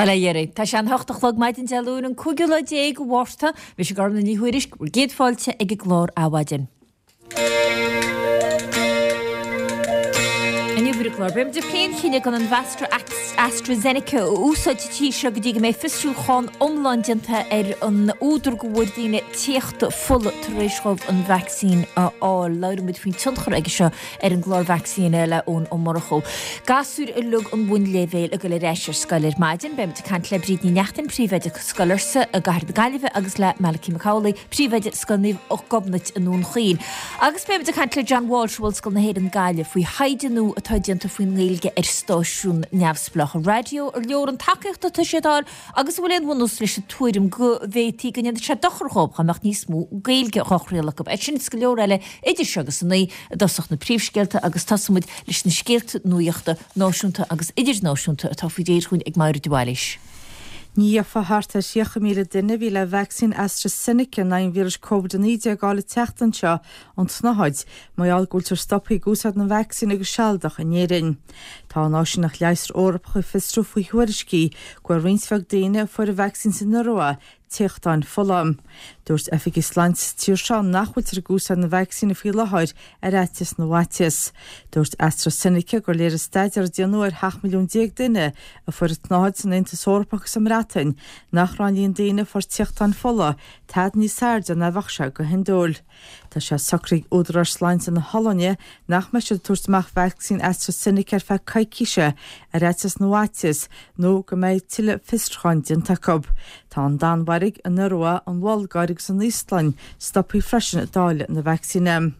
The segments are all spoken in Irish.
Bhuel, a Dherry, tá sé an hocht a chlog maidin Dé Luain an cúigiú lá déag de Mhárta. Mise Gormlaith Ní Thuairisg, bhur gcéad fáilte ag an gclár Adhmhaidin. Inniu ar an gclár, beidh muid ag plé an chinnidh gan an mheascra AstraZeneca a úsáid sa tír seo go dtí go mbeidh fiosrúchán iomlán déanta ar an údar go bhfuair daoine téachtadh fola tar éis dhóibh an vacsaín a fháil. Labhróidh muid faoin tionchar aige seo ar an gclár vacsaíne le Eoin Ó Murchú. Gasúir uilig an bhunléibhéil ag dul ar ais ar scoil ar maidin. Beidh muid ag caint le Bríd Ní Neachtain, Príomhoide Scoil Fhursa i gCathair na Gaillimhe agus le Malachy Mac Amhlaigh, Príomhoide Scoil Naomh Gobnait i nDún Chaoin. Agus beidh muid ag caint le John Walsh ó Ollscoil na hÉireann Gaillimh faoi thaighde nua atá déanta faoin nGaeilge ar stáisiúin neamhspleácha raidió. Ar leor an tacaíocht atá siad a fháil Agus an bhfuil aon bhunús leis an tuairim go bhféadfaí go ndéanfadh sé dochar dhóibh dá mbeadh níos mó Gaeilge dhá chraoladh acu? É sin is go leor eile idir seo agus a naoi i dtosach na príomhscéalta agus tosóidh muid leis na scéalta nuachta náisiúnta agus idirnáisiúnta atá faoi réir dhúinn ag Máire de Bhailís. Ní gheofa thart ar 30,000 duine a bhí le vacsaín AstraZeneca in aghaidh an víris Covid-19 a fháil an tseachtain seo ón tsnáthaid, mar gheall go bhfuiltear stoptha ag úsáid na vacsaíne go sealadach in Éirinn. Tá an Áisíneacht Leigheasra Eorpach ag fiosrú faoi thuairiscí go bhfuair roinnt bheag daoine a fuair an vacsaín san Iorua téachtáin fola. Dúirt oifigigh sláinte sa tír seo nach bhfuiltear ag úsáid na vacsaíne faoi láthair ar fhaitíos na bhfaitíos. Dúirt AstraZeneca gur léirigh staidéar a déanadh ar 17 milliún duine a fuair an tsnáthaid san Aontas Eorpach agus sa mBreatain nach raibh an líon daoine a fuair téachtáin fola tada níos airde ná a bheadh sé go hiondúil. Tá sé socraithe ag údaráis sláinte na hOllainne nach mbeidh siad ag tabhairt amach vacsaín AstraZeneca ar feadh coicíse ar fhaitíos na bhfaitíos nó go mbeidh tuilleadh fiosrúcháin déanta acu. Tá an Danmhairg, an Iorua, an Bhulgáir agus an Íoslainn stoptha freisin ag dáileadh na vacsaíne.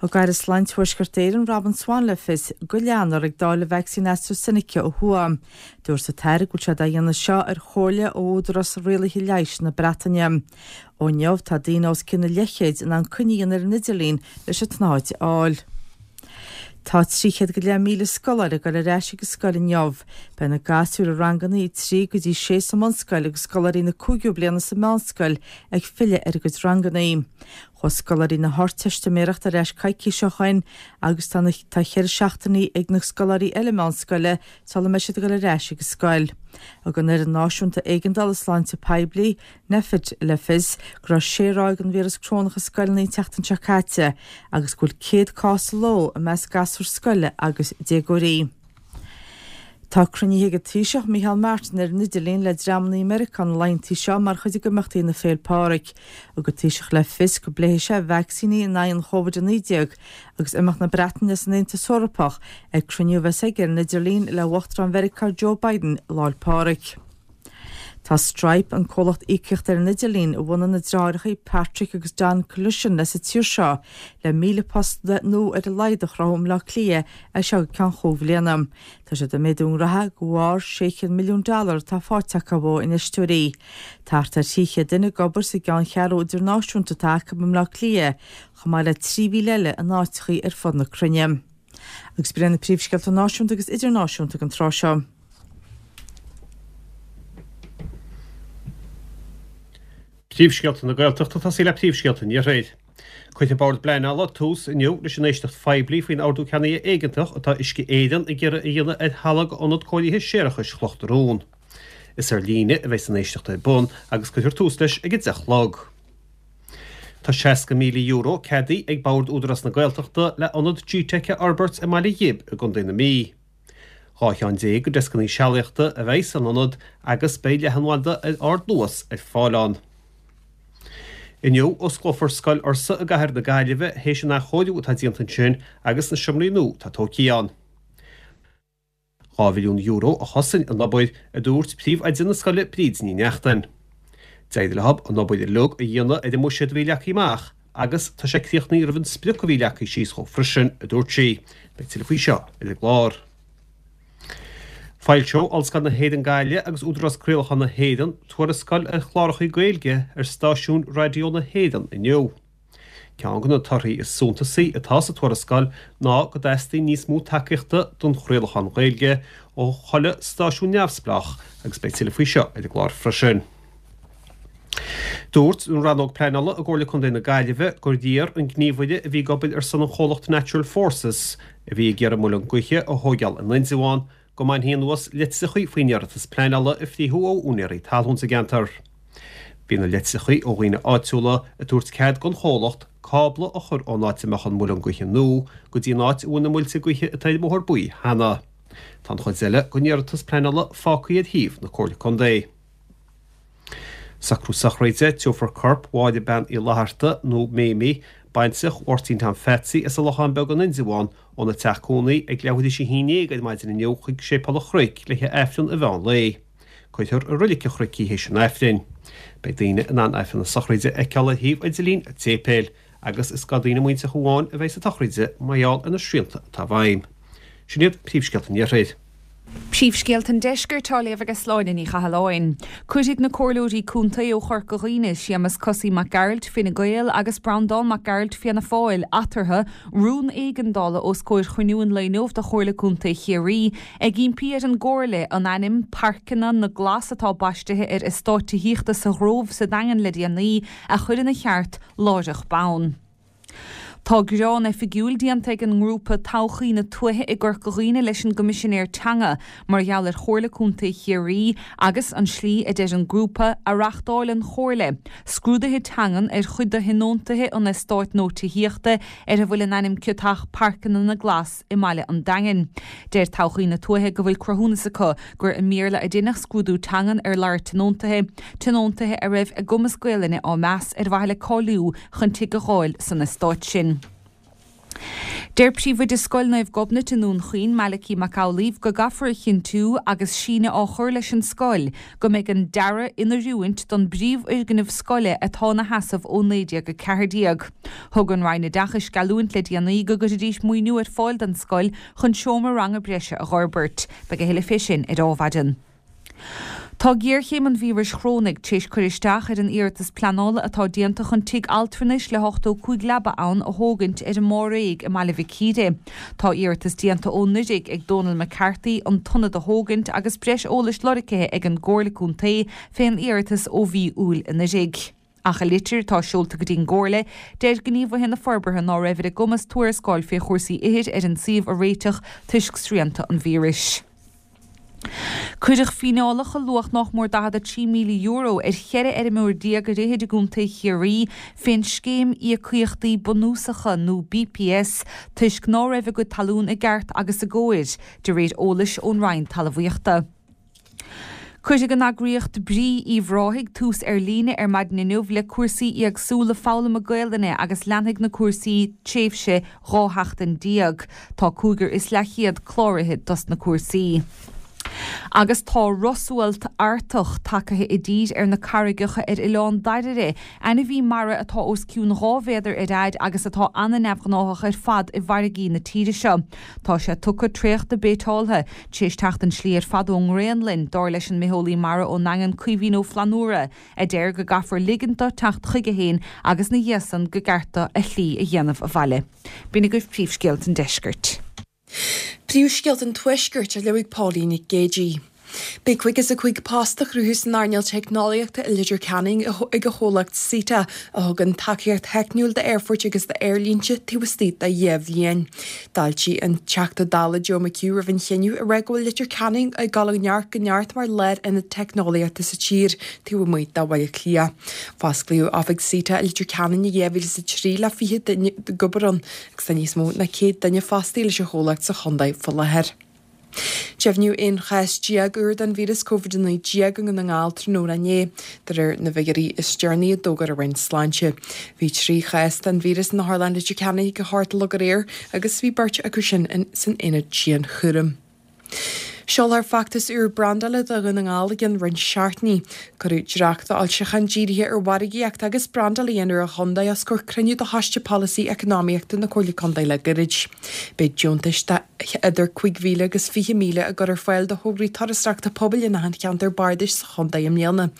Thug Aire Sláinte Thuaisceart Éireann Robin Swann le fios go leanfar ag dáileadh vacsaín AstraZeneca ó thuaidh. Dúirt an tAire go bhfuil siad á dhéanamh seo ar chomhairle ó Údarás Rialaithe Leighis na Breataine. Ó inniu tá daoine os cionn an leathchéid in ann coinne a dhéanamh ar an idirlíon leis an tsnáthaid a fháil. Tá 300,000 scoláire ag dul ar ais ag an scoil inniu. Beidh na gasúir i ranganna 3 go dtí 6 sa mbunscoil agus scoláirí na cúigiú bliana sa mheánscoil ag filleadh ar a gcuid ranganna. Chuaigh scoláirí na hArdteistiméireachta ar ais coicís ó shoin agus tá na tá cheithre seachtainí ag na scoláirí eile meánscoile sula mbeidh siad ag dul ar ais ag an scoil. Thug an Fhoireann Náisiúnta Éigeandála Sláinte Poiblí, Nphet, le fios go raibh sé ráig den víreas corónach i scoileanna an tseachtain seo caite agus go bhfuil 100 cás sa ló i measc gasúr scoile agus déagóirí. Tá cruinnithe ag an Taoiseach Micheál Martin ar an idirlíon le dreamanna i Meiriceá na laethanta seo mar chuid d'imeachtaí na Féil' Pádraig. Thug an Taoiseach le fios go bpléifidh sé vacsaíní in aghaidh an Chóvid-19 agus imeacht na Breataine as an Aontas Eorpach ag cruinniú a bheas aige ar an idirlíon le Uachtarán Mheiriceá Joe Biden Lá'l Pádraig. Tá Stripe, an comhlacht íocaíochta ar an idirlíon a bhunaigh na deartháireacha Patrick agus Don Collision as an tír seo, le 1,000 post nua ar a laghad a chruthú i mBleá Cliath as seo go ceann chúig bhliana. Tá siad ag méadú a ngraithe de bharr 600 milliún dollar atá faighte acu ó infheisteoirí. Tá thart ar 300 duine ag obair sa gceanncheathrú idirnáisiúnta atá acu i mBleá Cliath, chomh maith le 3,000 eile in áiteachaí ar fud na cruinne. Agus b'in iad na príomhscéalta náisiúnta agus idirnáisiúnta don tráth seo. Príomhscéalta na Gaeltachta ag tosaí le príomhscéalta an Iarthair. Cuirfidh Bord Pleanála tús inniu leis an éisteacht phoiblí faoin ordú ceannaithe éigeantach atá Uisce Éireann ag iarraidh a dhéanamh ar thalamh Ionad Cóirithe Séarachais Chloch na Rón. Is ar líne a bheidh an éisteacht ar bun agus cuirfear tús leis ag 10 a chlog. Tá €60,000 ceadaithe ag Bord Údarás na Gaeltachta le ionad G-Teic a fhorbairt i mBaile Ghib i gContae na Mí. 12 cheann de dheascanna sealaíochta a bheidh san ionad agus beidh leathanbhanda ar ardluas ar fáil ann. Inniu, osclófar Scoil Fhursa i gcathair na Gaillimhe théis an athchóiriú atá déanta ansin agus na seomraí nua atá tógtha ann. €2 mhilliún a chosain an obair, a dúirt príomhoide na scoile Bríd Ní Neachtain. D'éirigh leo an obair uilig a dhéanamh ar an mbuiséad a bhí leagtha amach agus tá sé críochnaithe roimh an sprioc a bhí leagtha síos dhó freisin, a dúirt sí. Beidh tuilleadh faoi seo ar an gclár. Foilseoidh Ollscoil na hÉireann Gaillimh agus Údarás Craolacháin na hÉireann tuarascáil ar chláracha Gaeilge ar stáisiúin raidió na hÉireann inniu. Ceann de na torthaí is suntasaí atá sa tuarascáil ná go dteastaíonn níos mó tacaíochta don chraolachán Gaeilge ó chuile stáisiún neamhspleách agus beidh tuilleadh faoi seo ar an gclár freisin. Dúirt an Rannóg Pleanála i gComhairle Contae na Gaillimhe gur iarr an gníomhaire a bhí ag obair ar son an chomhlacht Natural Forces, a bhí ag iarraidh muileann gaoithe a thóigeáil in Indreabhán, go mbainfí anuas litreachaí faoin iarratas pleanála a frítheadh ó úinéirí talún sa gceantar. Bhí na litreachaí ó dhaoine áitiúla ag tabhairt cead don chomhlacht cábla a chur ón áit a mbeadh an muileann gaoithe nua go dtí an áit a bhfuil na muilte gaoithe atá ar an mBóthar Buí cheana. Tá an chuid eile den iarratas pleanála fágtha ar shuíomh na Comhairle Contae. Socrú sochraide, Tabharfar corp Mháire Bean Uí Fhlatharta, nó Méimí, baintreach Mháirtín Tom Pheatsaí as an Lochán Beag in Indreabhán, óna teach cónaí ag leathuair théis 11 ar maidin inniu chuig Séipéal an Chnoic le haghaidh Aifreann an mheán lae. Cuirfear i Roilic an Chnoic í théis an Aifrinn. Beidh daoine in ann Aifreann na sochraide a fheiceáil ar shuíomh idirlín an tséipéil, agus is do daoine muinteartha amháin a bheidh sa tsochraide mar gheall ar na srianta atá i bhfeidhm. Sin iad príomhscéalta an Iarthair. Príomhscéalta an Deiscirt á léamh ag Sláine Ní Chathalláin. Cuirfidh na Comhairleoirí Contae ó Chorca Dhuibhne, Séamus 'Cosaí' Mac Gearailt, Fine Gael, agus Breandán Mac Gearailt, Fianna Fáil, eatarthu, rún éigeandála os comhair chruinniú an lae inniu de Chomhairle Contae Chiarraí, ag impí ar an gComhairle an ainm 'Pairceanna na nGlas' atá baistithe ar eastát tithíochta sa Ghrove sa Daingean le déanaí, a chur ina cheart láithreach bonn. Tá gearán oifigiúil déanta ag an ngrúpa Todhchaí na Tuaithe i gCorca Dhuibhne leis an gCoimisinéir Teanga mar gheall ar Chomhairle Contae Chiarraí agus an slí, a deir an grúpa, a reachtáil an Chomhairle scrúduithe teangan ar chuid de thionóntaithe an eastáit nua tithíochta ar a bhfuil an ainm ciotach Pairceanna na nGlas i mbaile an Daingin. Deir Todhchaí na Tuaithe go bhfuil cruthúnas acu gur i mBéarla a deineadh scrúdú teangan ar lorg tionóntaithe, tionóntaithe a raibh a gcumas Gaelainne á meas ar mhaithe le cáiliú chun tigh a dh'fháil san eastát sin. Deir Príomhoide Scoil Naomh Gobnait i nDún Chaoin, Malachy Mac Amhlaoibh, go gcaithfear a chinntiú, agus síneadh á chur leis an scoil, go mbeidh an dearadh in oiriúint don bpríomhfhoirgneamh scoile atá ina sheasamh ó 1914. Thug an Roinn Oideachais geallúint le déanaí go gcuirfidís maoiniú ar fáil don scoil chun seomra ranga breise a dh'fhorbairt. Beidh a thuilleadh fé sin ar Adhmhaidin. Tá géarchéim an víris chorónaigh tar éis cur isteach ar an iarratas pleanála atá déanta chun tigh altranais le 85 leaba ann a thógaint ar an mBáréag i mBaile Mhic Íre. Tá iarratas déanta ó anuraidh ag Dónal McCarthy an t-ionad a thógaint agus breis eolais lorgtha ag an gComhairle Contae fén iarratas ó mhí Iúil anuraidh. Ach i litir atá seolta go dtí an gComhairle, deir gníomhaithe na forbartha ná raibh ar a gcumas tuarascáil fé chúrsaí ithir ar an suíomh a réiteach toisc srianta an víris. Cuireadh fíneálacha luach nách mór €43,000 ar 14 fheirmeoir ar fhichid i gContae Chiarraí fén scéim Íocaíochtaí Bunúsacha nó BPS toisc ná raibh a gcuid talún i gceart agus i gcóir, de réir eolais ón Roinn Talmhaíochta. Cuirfidh an eagraíocht Brí Uíbh Ráthaigh tús ar líne ar maidin inniu le cúrsaí éagsúla foghlama Gaelainne agus leanfaidh na cúrsaí tréimhse 12 sheachtain. Tá cúigear is leathchéad cláraithe dos na cúrsaí. Agus tá rosualt Artach tagaithe i dtír ar na carraigeacha ar Oileán Dairbhre, ainmhí mara atá os cionn 2 mhéadar ar fhaid agus atá ana-neamhghnáthach ar fad i bhfarraigí na tíre seo. Tá sé tugtha, traochta, béiteáltha, tar éis teacht an slí ar fad ón nGraonlainn, dar leis an mbitheolaí mara ón nDaingean Caoimhín Ó Flannúra, a deir go gcaithfear ligint dó teacht chuige féin agus 'na dhiaidh san go gceart dó a shlí a dhéanamh abhaile. B'in agaibh príomhscéalta an deiscirt. Príomhscéalta an Tuaiscirt á léamh ag Pauline Nic Géidigh. Beidh 55 post á chruthú san earnáil teicneolaíochta i Leitir Ceanainn ag an chomhlacht SITA, a thugann tacaíocht theicniúil d'aerfoirt agus d'aerlínte taobh istigh de dheich bhliain. D'fháiltigh an Teachta Dála Joe McHugh roimh an chinneadh ag rá go bhfuil Leitir Ceanainn ag dul ó neart go neart mar lárionad teicneolaíochta sa tír taobh amuigh de Bhaile Átha Cliath. Fosclaíodh oifig SITA i Leitir Ceanainn i 2003 le 20 duine ag obair ann agus tá níos mó ná 100 duine fostaithe leis an chomhlacht sa chontae faoi láthair. Deimhníodh 11 chás úr den víreas Covid-19 i nDún na nGall tráthnóna inné, de réir na bhfigiúirí is deireanaí a d'fhógair an Roinn Sláinte. Bhí 3 chás den víreas in Otharlann Leitir Ceanainn ag a hocht a chlog aréir agus bhí beirt acu sin san aonad dianchúraim. Seolfar feachtas úr brandála do Dhún na nGall i gcionn roinnt seachtainí. Cuireadh dréacht d'fhoilseachán dírithe ar mhargaíocht agus brandáil a dhéanamh ar an chontae os comhair cruinniú de Choiste Polasaí Eacnamaíochta na Comhairle Contae le gairid. Beidh deontais de idir 5,000 agus 20,000 á gcur ar fáil do thograí turasóireachta pobail in achan cheantar bardais sa chontae i mbliana.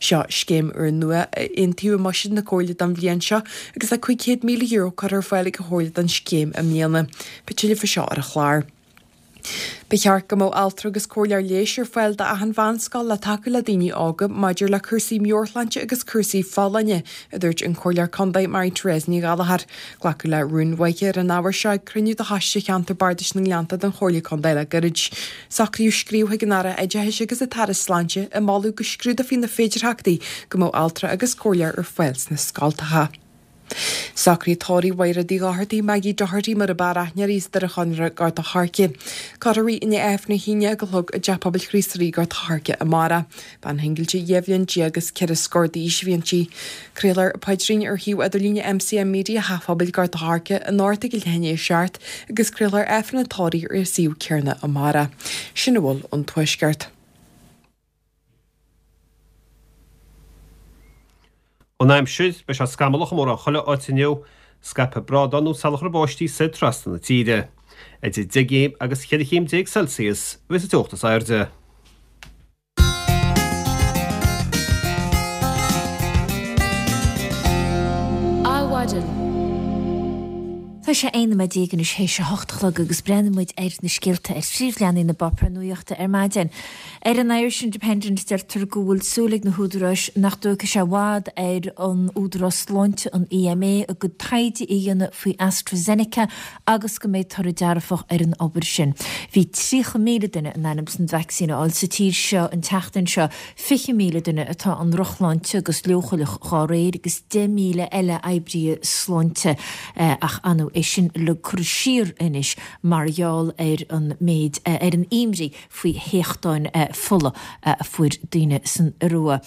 Seo scéim úrnua a aontaíodh i mbuiséad na Comhairle don bhliain seo agus tá €500,000 curtha ar fáil ag an Chomhairle don scéim i mbliana. Beidh tuilleadh faoi seo ar an chlár. Ba cheart go mbeadh altra agus comhairleoir leighis ar fáil d'achan mheánscoil le tacú le daoine óga maidir le cúrsaí meabhairshláinte agus cúrsaí folláine, a dúirt an Comhairleoir Contae Mary Therese Ní Ghallchóir. Glacadh le rún uaithi ar an ábhar seo ag cruinniú de Choiste Cheantar Bardais na nGleannta den Chomhairle Contae le gairid. Socraíodh scríobh chuig an Aire Oideachais agus an tAire Sláinte ag moladh go scrúdófaí na féidearthachtaí go mbeadh altra agus comhairleoir ar fáil sna scoltacha. Socraíodh tórramh Mhaighréad Uí Dhochartaigh, Maggie Doherty mar a b'fhearr aithne uirthi, as Doire Chonaire, Gort a' Choirce. Cuirfear í i ndiaidh Aifreann a hAoine ag a chlog i dTeach Pobail Chríost Rí, Gort a' Choirce amárach. Bean shingilde 12 bhliain agus ceithre scór d'aois a bhí inti. Craolfar paidrín ar shuíomh idirlíne MCM Media Theach Phobail Gort a' Choirce anocht ag a leath i ndiaidh a 7 agus craolfar Aifreann an tórraimh ar an suíomh céanna amárach. Sin a bhfuil ón Tuaisceart. An aimsir, beidh sé scamallach i mórán chuile áit inniu, scaipfidh brádáin nó salachar báistí soir trasna na tíre. Idir 10 gcéim agus 14 chéim Celsius a bheas an teocht is airde. Adhmhaidin. Tá sé 11 nóiméad anois théis a hocht a chlog agus breathnaíonn muid ar na scéalta ar phríomhleathanaigh na bpáipéar nuachta ar maidin. Ar an Irish Independent deirtear go bhfuil súil ag na húdaráis nach dtógfaidh sé i bhfad ar an Údarás Sláinte, an EMA, a gcuid taighde a dhéanamh faoi AstraZeneca agus go mbeidh toradh dearfach ar an obair sin. Bhí 30,000 duine in ainm 's an vacsaín a fháil sa tír seo an tseachtain seo, 20,000 duine atá i ndrochshláinte agus leochaileach dhá réir agus 10,000 eile oibrithe sláinte ach ar ndóigh é sin uilig curtha siar anois mar gheall ar an méid ar an imní faoi théachtáin fola a fuair daoine san Iorua.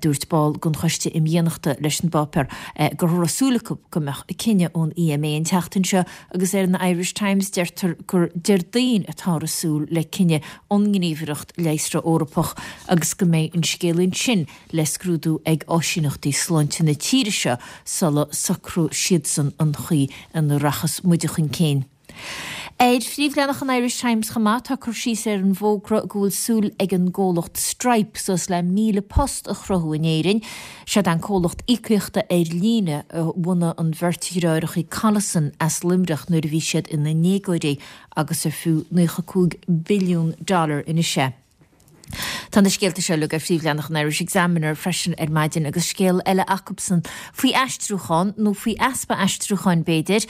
Dúirt ball den Choiste Imdhíonachta leis an bpáipéar go raibh súil acu go mbeadh cinneadh ón EMA an tseachtain seo agus ar an Irish Times deirtear gur Déardaoin atáthar ag súil le cinneadh ón nGníomhaireacht Leigheasra Eorpach agus go mbeidh an scéal ansin le scrúdú ag áisíneachtaí sláinte na tíre seo sula socróidh siadsan an chaoi ina rachas muide chun cinn. Ar phríomhleathanach an Irish Times chomh maith tá cur síos ar an bhfógra go bhfuil súil ag an gcomhlacht Stripe suas le 1,000 post a chruthú in Éirinn. Siod an comhlacht íocaíochta ar líne a bhunaigh an bheirt dhreáireacha Collison as Luimneach nuair a bhí siad ina ndéagóirí agus ar fiú 95 billiún dollar anois é. Tá na scéalta seo uilig ar phríomhleathanach an Irish Examiner freisin ar maidin agus scéal eile acubsan faoi aistriúchán, nó faoi easpa aistriúcháin b'fhéidir,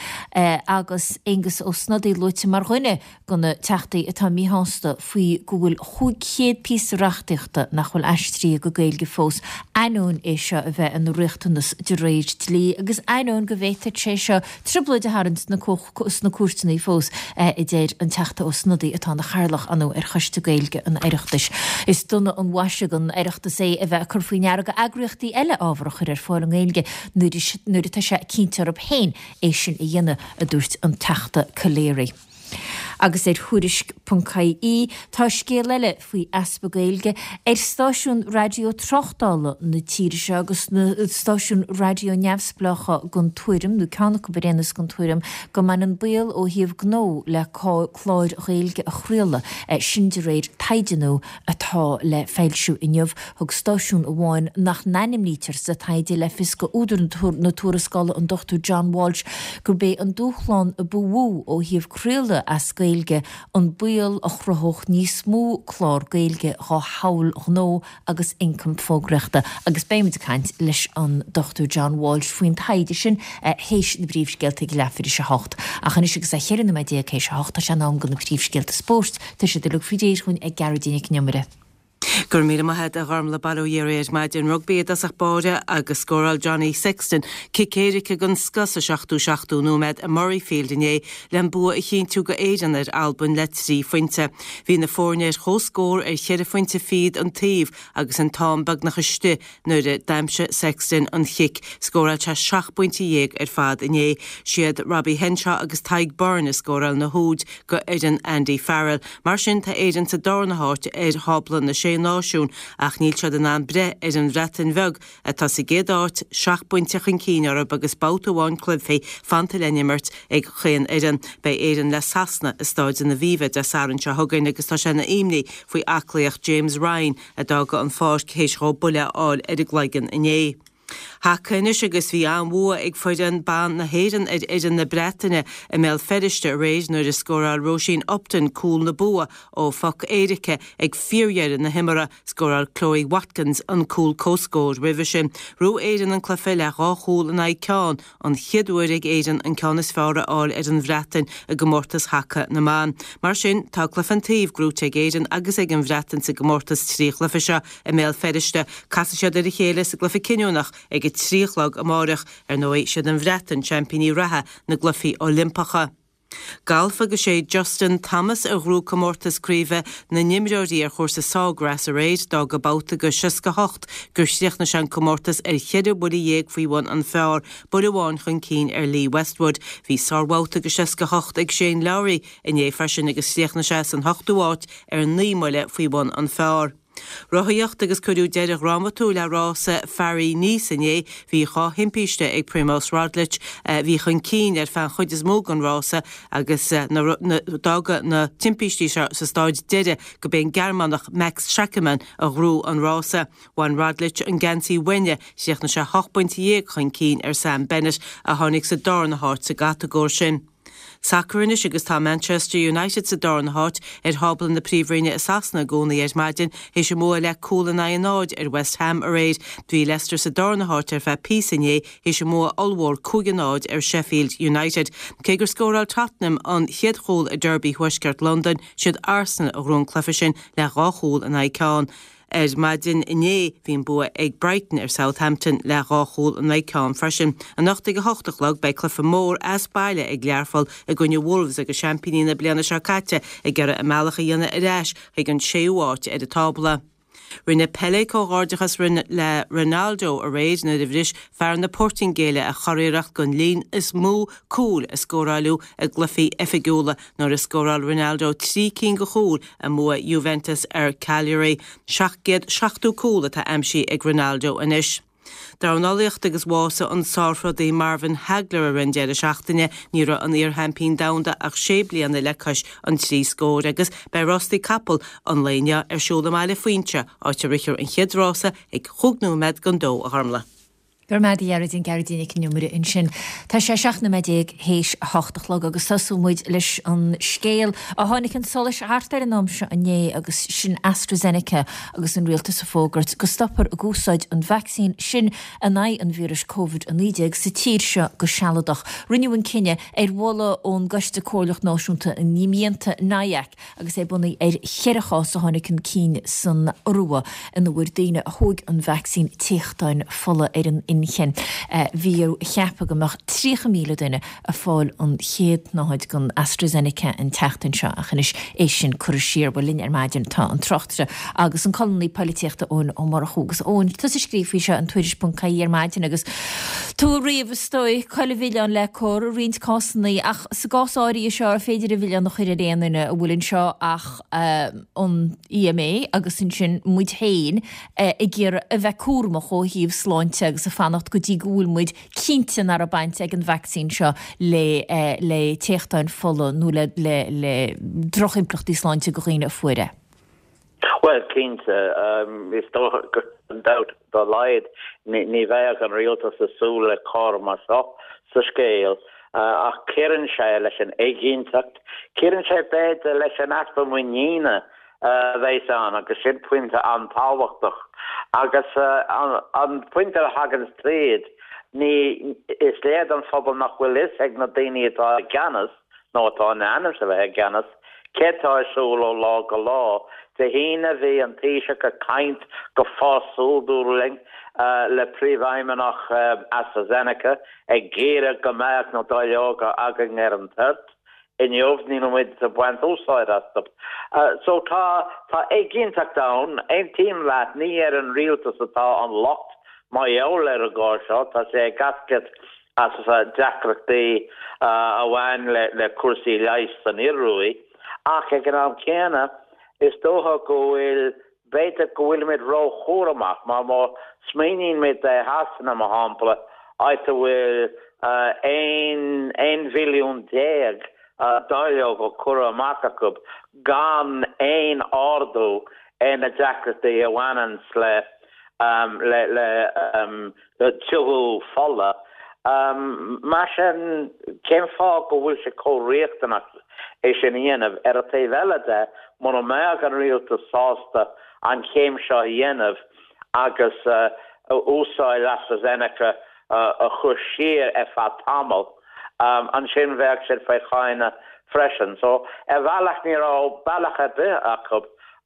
agus Aengus Ó Snodaigh luaite mar dhuine de na teachtaí atá míshásta faoi go bhfuil 500 píosa reachtaíochta nach bhfuil aistrithe go Gaeilge fós, ainneoin é seo a bheith ina riachtanas de réir dlí agus ainneoin go bhféadfadh sé seo trioblóid a tharraingt sna cúirteanna fós, a deir an Teachta Ó Snodaigh atá ina chathaoirleach, ar ndóigh, ar Choiste Gaeilge an Oireachtais. Is dona an mhaise don Oireachtas é a bheith ag cur faoi ndeara go eagraíochtaí eile ábhar a chur ar fáil i nGaeilge nuair atá sé cinnte orthu féin é sin a dhéanamh, a dúirt an Teachta Calleary. Agus ar Thuairisc ponc ie tá scéal eile faoi easpa Gaeilge ar stáisiúin raidió tráchtála na tíre seo agus na stáisiúin raidió neamhspleácha den tuairim, nó ceann acu ar aon nós den tuairim, go mbaineann baol ó thaobh gnó le cláir Ghaeilge a chraoladh, sin de réir taighde nua atá le foilsiú inniu. Thug stáisiún amháin nach n-ainmnítear sa taighde le fios go údar na tuarascála, an Dr John Walsh, gurb é an dúshlán a ba mhó ó thaobh craoladh as Gaeilge an baol a chruthódh níos mó clár Gaeilge dhá shamhail ghnó agus ioncam fógraíochta. Agus beidh muid ag caint leis an Dr John Walsh faoin taighde sin théis na bpríomhscéalta ag leathuair théis a hocht. Ach anois agus é 14 nóiméad théis a hocht tá sé in am do na príomhscéalta spóirt. Tá siad uilig faoi réir dhúinn ag Gearóidín Nic an Iomaire. Go raibh míle maith agat a Ghormlaith, bail ó Dhia oraibh ar maidin. Rugbaí i dtosach báire agus scóráil Johnny Sexton cic éirice den scoth sa seachtú seachtú nóiméad i Murrayfield inné le an bua a chinntiú go Éirinn ar Albain le 3 phointe. Bhí na foirne ar comhscór ar cheithre phointe fichead an taobh agus an t-am beagnach istigh Nuair a d'aimsigh Sexton an chic, scóráil sé 17 bpointe ar fad inné. Siad Robbie Henshaw agus Tadhg Beirne a scóráil na húid go fhoireann Andy Farrell. Mar sin, tá Éirinn sa darna háit ar thábla na Sé Náisiún ach níl siad in ann breith ar an Bhreatain Bheag atá sa gcéad áit, 7 bpointe chun cinn orthu agus babhta amháin cluichí fanta le n-imirt ag chaon fhoireann. Beidh Éirinn le Sasana i Stáid an Aviva Dé Sathairn seo chugainn agus tá sé ina imní faoi aclaíocht James Ryan a d'fhága an pháirc théis dhó buille a fháil ar an gcloigeann inné. Haca anois agus bhí an-bhua ag foireann ban na hÉireann ar fhoireann na Breataine i mBéal Feirste aréir nuair a scóráil Róisín Upton cúl na bua ó phoc éirice ag fíordheireadh na himeartha. Scóráil Chloe Watkins an cúl comhscóir roimhe sin. Ghnóthaigh Éirinn an cluiche le dhá chúl in aghaidh ceann, an chéad uair ag Éirinn an ceann is fearr a fháil ar an Bhreatain i gcomórtas haca na mban. Mar sin, tá cluiche an taoibh gnóite ag Éirinn agus ag an Bhreatain sa gcomórtas trí chluiche seo i mBéal Feirste. Casfaidh siad ar a chéile sa gcluiche cinniúnach ag a 3 a chlog amáireach. Ar ndóigh, siad an Bhreatain seaimpíní reatha na gCluichí Oilimpeacha. Galf agus sé Justin Thomas a ghnóthaigh comórtas craoibhe na n-imreoirí ar chúrsa Sawgrass aréir. D'fhág babhta de 68 gur chríochnaigh sé an comórtas ar cheithre bhuille dhéag faoi bhun an phar, buille amháin chun cinn ar Lee Westwood. Bhí sárbhabhta de 68 ag Shane Lowry inné freisin agus chríochnaigh sé san ochtú háit ar naoi mbuille faoi bhun an phar. Rothaíocht agus cuireadh deireadh dhrámatúil le rása Pharis-Nice inné. Bhí dhá thimpiste ag Primoz Roglic a bhí chun cinn ar feadh an chuid is mó den rása agus d'fhág na timpistí seo sa staid deiridh go b'é an Gearmánach Max Schachmann a ghnóthaigh an rása. Bhain Roglic an geansaí uaine, chríochnaigh sé hocht bpointe dhéag chun cinn ar Sam Bennett a tháinig sa darna háit sa gcatagóir sin. Sacar anois agus tá Manchester United sa darna háit ar thábla na Príomhroinne i Sasana i gcónaí ar maidin théis a mbua le cúl in aghaidh a náid ar West Ham aréir. Bhí Leicester sa darna háit ar feadh píosa inné théis a mbua ollmhór 5 a 0 ar Sheffield United. Cé gur scóráil Tottenham an chéad chúl i Derby Thuaisceart Londain, siad Arsenal a ghnóthaigh an cluiche sin le dhá chúl in aghaidh ceann. Ar maidin inné, bhí an bua ag Brighton ar Southampton le dhá chúl in aghaidh ceann freisin. Anocht ag a hocht a chlog beidh cluiche mór as baile ag Learpholl i gcoinne Wolves agus seaimpíní na bliana seo caite ag iarraidh a mbealach a dhéanamh ar ais chuig an séú háit ar an tábla. Rinne Pelé comhghairdeachas le Ronaldo aréir nuair a bhris fear na Portaingéile a churiarracht don líon is mó cúil a scóráileadh i gcluichí oifigiúla nuair a scóráil Ronaldo 3 cinn de chúil i mbua Juventus ar Cagliari. 770 cúl atá aimsithe ag Ronaldo anois. Dornálaíocht agus bhásaigh an sárthrodaí Marvin Hagler i rith an deireadh seachtaine. Ní raibh an iar-sheaimpín domhanda ach sé bliana le cois an trí scóir agus beidh rástaí capall an lae inniu ar siúl i mBaile Fuinse, áit a rithfear an chéad rása ag chúig nóiméad don dó, a Ghormlaith. Go raibh maith agat a Ghearóidín, Gearóidín Nic an Iomaire ansin. Tá sé 17 nóiméad théis a hocht a chlog agus tosóidh muid leis an scéal a tháinig chun solais thart ar an am seo inné agus sin AstraZeneca agus an rialtas ag fógairt go stopfar ag úsáid an vacsaín sin in aghaidh an víris Covid-19 sa tír seo go sealadach. Rinneadh an cinneadh ar mholadh ón gCoiste Comhairleach Náisiúnta na Imdhíonta, NIAC, agus é bunaithe ar cheithre chás a tháinig chun cinn san Iorua ina bhfuair daoine a thóg an vacsaín téachtáin fola ar an inchinn. Bhí á cheapadh go mbeadh 30,000 duine ag fáil an chéad tsnáthaid den AstraZeneca an tseachtain seo ach anois é sin curtha siar. Bhuel linn ar maidin tá an tráchtaire agus an colúnaí polaitíochta Eoin Ó Murchú. Agus Eoin, tusa a scríobh faoi seo in Tuairisc.ie ar maidin agus tú ag ríomh is dóigh cá bhfuil an milleán le cur i roinnt cásanna ach Sa gcás áirithe seo, ar féidir an milleán a chur ar aon duine a bhfuil anseo ach an EMA agus ansin muid féin ag iarraidh a bheith cúramach ó thaobh sláinte agus ag fanacht go dtí go bhfuil muid cinnte nach raibh baint ag an vacsaín seo le le téachtáin fola nó le le le drochimpleachtaí sláinte do dhaoine a fuair é. Bhuel, cinnte, is dócha gan dabht dá laghad, ní bheadh an rialtas ag súil le cor mar seo sa scéal, ach cuireann sé leis an éiginnteacht, cuireann sé b'fhéidir leis an easpa muiníne a bheas ann, agus sin pointe an-tábhachtach. Agus an pointe a thagann tríd, ní, is léir don phobal nach bhfuil fhios ag na daoine atá i gceannas, nó atá in ainm is a bheith i gceannas, céard tá ar siúl ó lá go lá. Dé hAoine bhí an Taoiseach ag caint go fásúil dúradh linn le príomhfheidhmeannach AstraZeneca ag iarraidh go mbeadh na dáileoga againn ar an toirt. Inniu níl muid ag baint úsáid astu. So tá tá éiginnteacht ann. Aontaím leat, ní ar an rialtas atá an locht mar gheall ar an gcor seo, tá sé ag eascairt as deacrachtaí a bhain le cúrsaí leighis san Ioruaidh, ach ag an am céanna, is dócha go bhfuil, b'fhéidir go bhfuilimid róchúramach, mar má smaoiníonn muid ar Shasana, mar shampla, áit a bhfuil 11 mhilliún dáileog curtha amach acu gan aon ardú ar na deacrachtaí a bhaineanns le. Le tiubhú fola. Mar sin, cén fáth go bhfuil sé chomh riachtanach é sin a dhéanamh? Ar an taobh eile de, mura mbeadh an rialtas sásta an chéim seo a dhéanamh agus úsáid AstraZeneca a chur siar ar feadh tamaill, ansin bheadh siad faoi cháineadh freisin. So, ar bhealach ní raibh bealach ar bith acu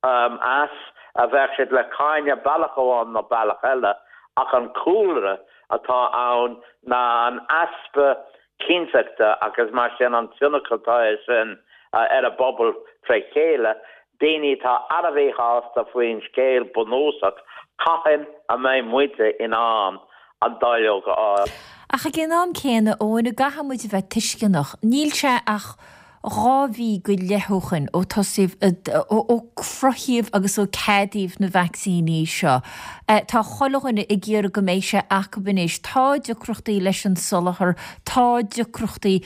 as, bheadh siad le cáineadh bealach amháin nó bealach eile, ach an cúlra atá ann ná an easpa cinnteachta agus mar sin an tionchar atá air sin ar an bpobal tré chéile, daoine atá an-mhíshásta faoin scéal bunúsach, cathain a mbeidh muide in ann an dáileog a fháil? Ach ag an am céanna, Eoin, caithfidh muid a bheith tuisceanach, níl sé ach 2 mhí go leith ó shoin ó tosaíodh, ó cruthaíodh agus ó ceadaíodh na vacsaíní seo. Tá chuile dhuine ag iarraidh go mbeidh sé acub anois. Tá deacrachtaí leis an soláthar, tá deacrachtaí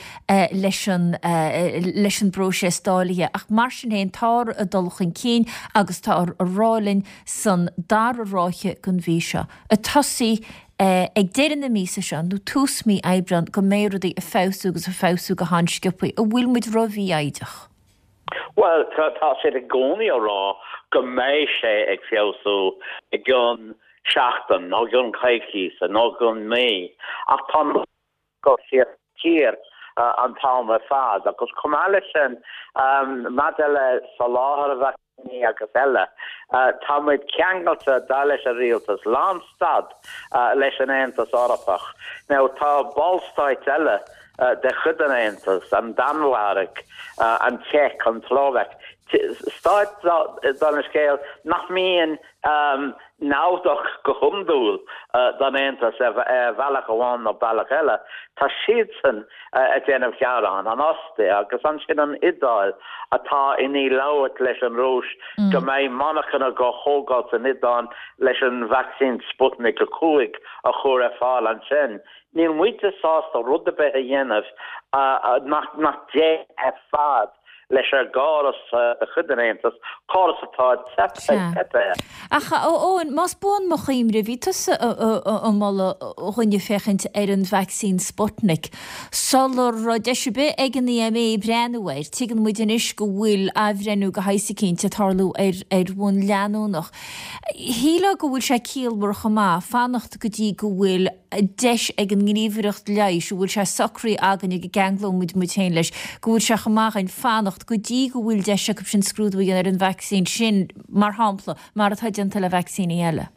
leis an, leis an bpróiseas dáilithe ach mar sin féin táthar ag dul chun cinn agus táthar ag rá linn san dara ráithe den mhí seo, ag tosaí ag deireadh na míosa seo nó tús mí Aibreán go mbeidh rudaí ag feabhsú agus ag feabhsú go han-sciobthaí. An bhfuil muid ró-mhífhoighdeach? Bhuel, tá siad i gcónaí á rá go mbeidh sé ag feabhsú i gcionn seachtain nó i gcionn coicíse nó i gcionn mí ach tá an go siar siar an t-am ar fad agus chomh maith leis sin maidir le soláthar vacsaíní agus eile, tá muid ceangailte, dar leis an rialtas, lánstad leis an Aontas Eorpach. Now tá ballstáit eile de chuid an Aontais, an Danmhairg, an tSeic, an tSlóvaic, stáit dar an scéal nach mbíonn naimhdeach go hiondúil don Aontas ar bhealach amháin nó bealach eile. Tá siadsan ag déanamh gearán, an Ostair agus ansin an Iodáil atá i ndiaidh labhairt leis an Rúis go mbeidh monarchana á thógáil san Iodáil leis an vacsaín Sputnik 5 a chur ar fáil ansin. Níl muide sásta rud ar bith a dhéanamh nach dtéann ar fad leis an gcóras de chuid an Aontais, córas atá teipthe air. Ach, a Eoin, más buan mo chuimhne, bhí tusa ag moladh dhúinne féachaint ar an vacsaín Sputnik sula raibh deis ar bith ag an EMA breathnú air. Tuigeann muid anois go bhfuil athbhreithniú de shaghas eicínt ag tarlú air ar bhonn leanúnach. Shílfeá go bhfuil sé ciallmhar chomh maith fanacht go dtí go bhfuil deis ag an nGníomhaireacht Leighis, a bhfuil sé socraithe againn go gceanglóidh muid muid féin leis, go bhfuil sé chomh maith againn fanacht go dtí go bhfuil deis acu sin scrúdú a dhéanamh ar an vacsaín sin, mar shampla, mar atá déanta le vacsaíní eile.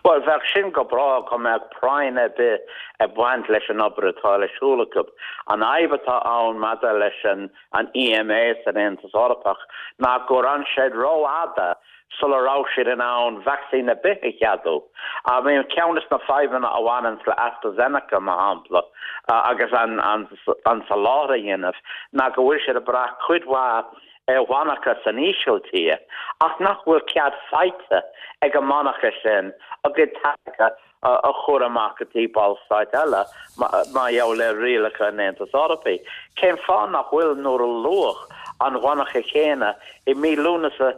Bhuel, bheadh sin go breá go mbeadh práinn ar bith ag baint leis an obair atá le siúl acu. An fhadhb atá ann maidir leis an EMA san Aontas Eorpach ná gur fhan siad rófhada sula raibh siad in ann vacsaín ar bith a cheadú. I mean, ceann de na fadhbanna a bhaineanns le AstraZeneca, mar shampla, agus an soláthar a dhéanamh, ná go bhfuil siad ag brath cuid mhaith ar mhonarcha san Ísiltír, ach nach bhfuil cead faighte ag an monarcha sin a gcuid táirge a chur amach go dtí ballstáit eile mar gheall ar rialacha an Aontais Eorpaigh. Cén fáth nach bhfuil nuair a luadh an mhonarcha chéanna i mí Lúnasa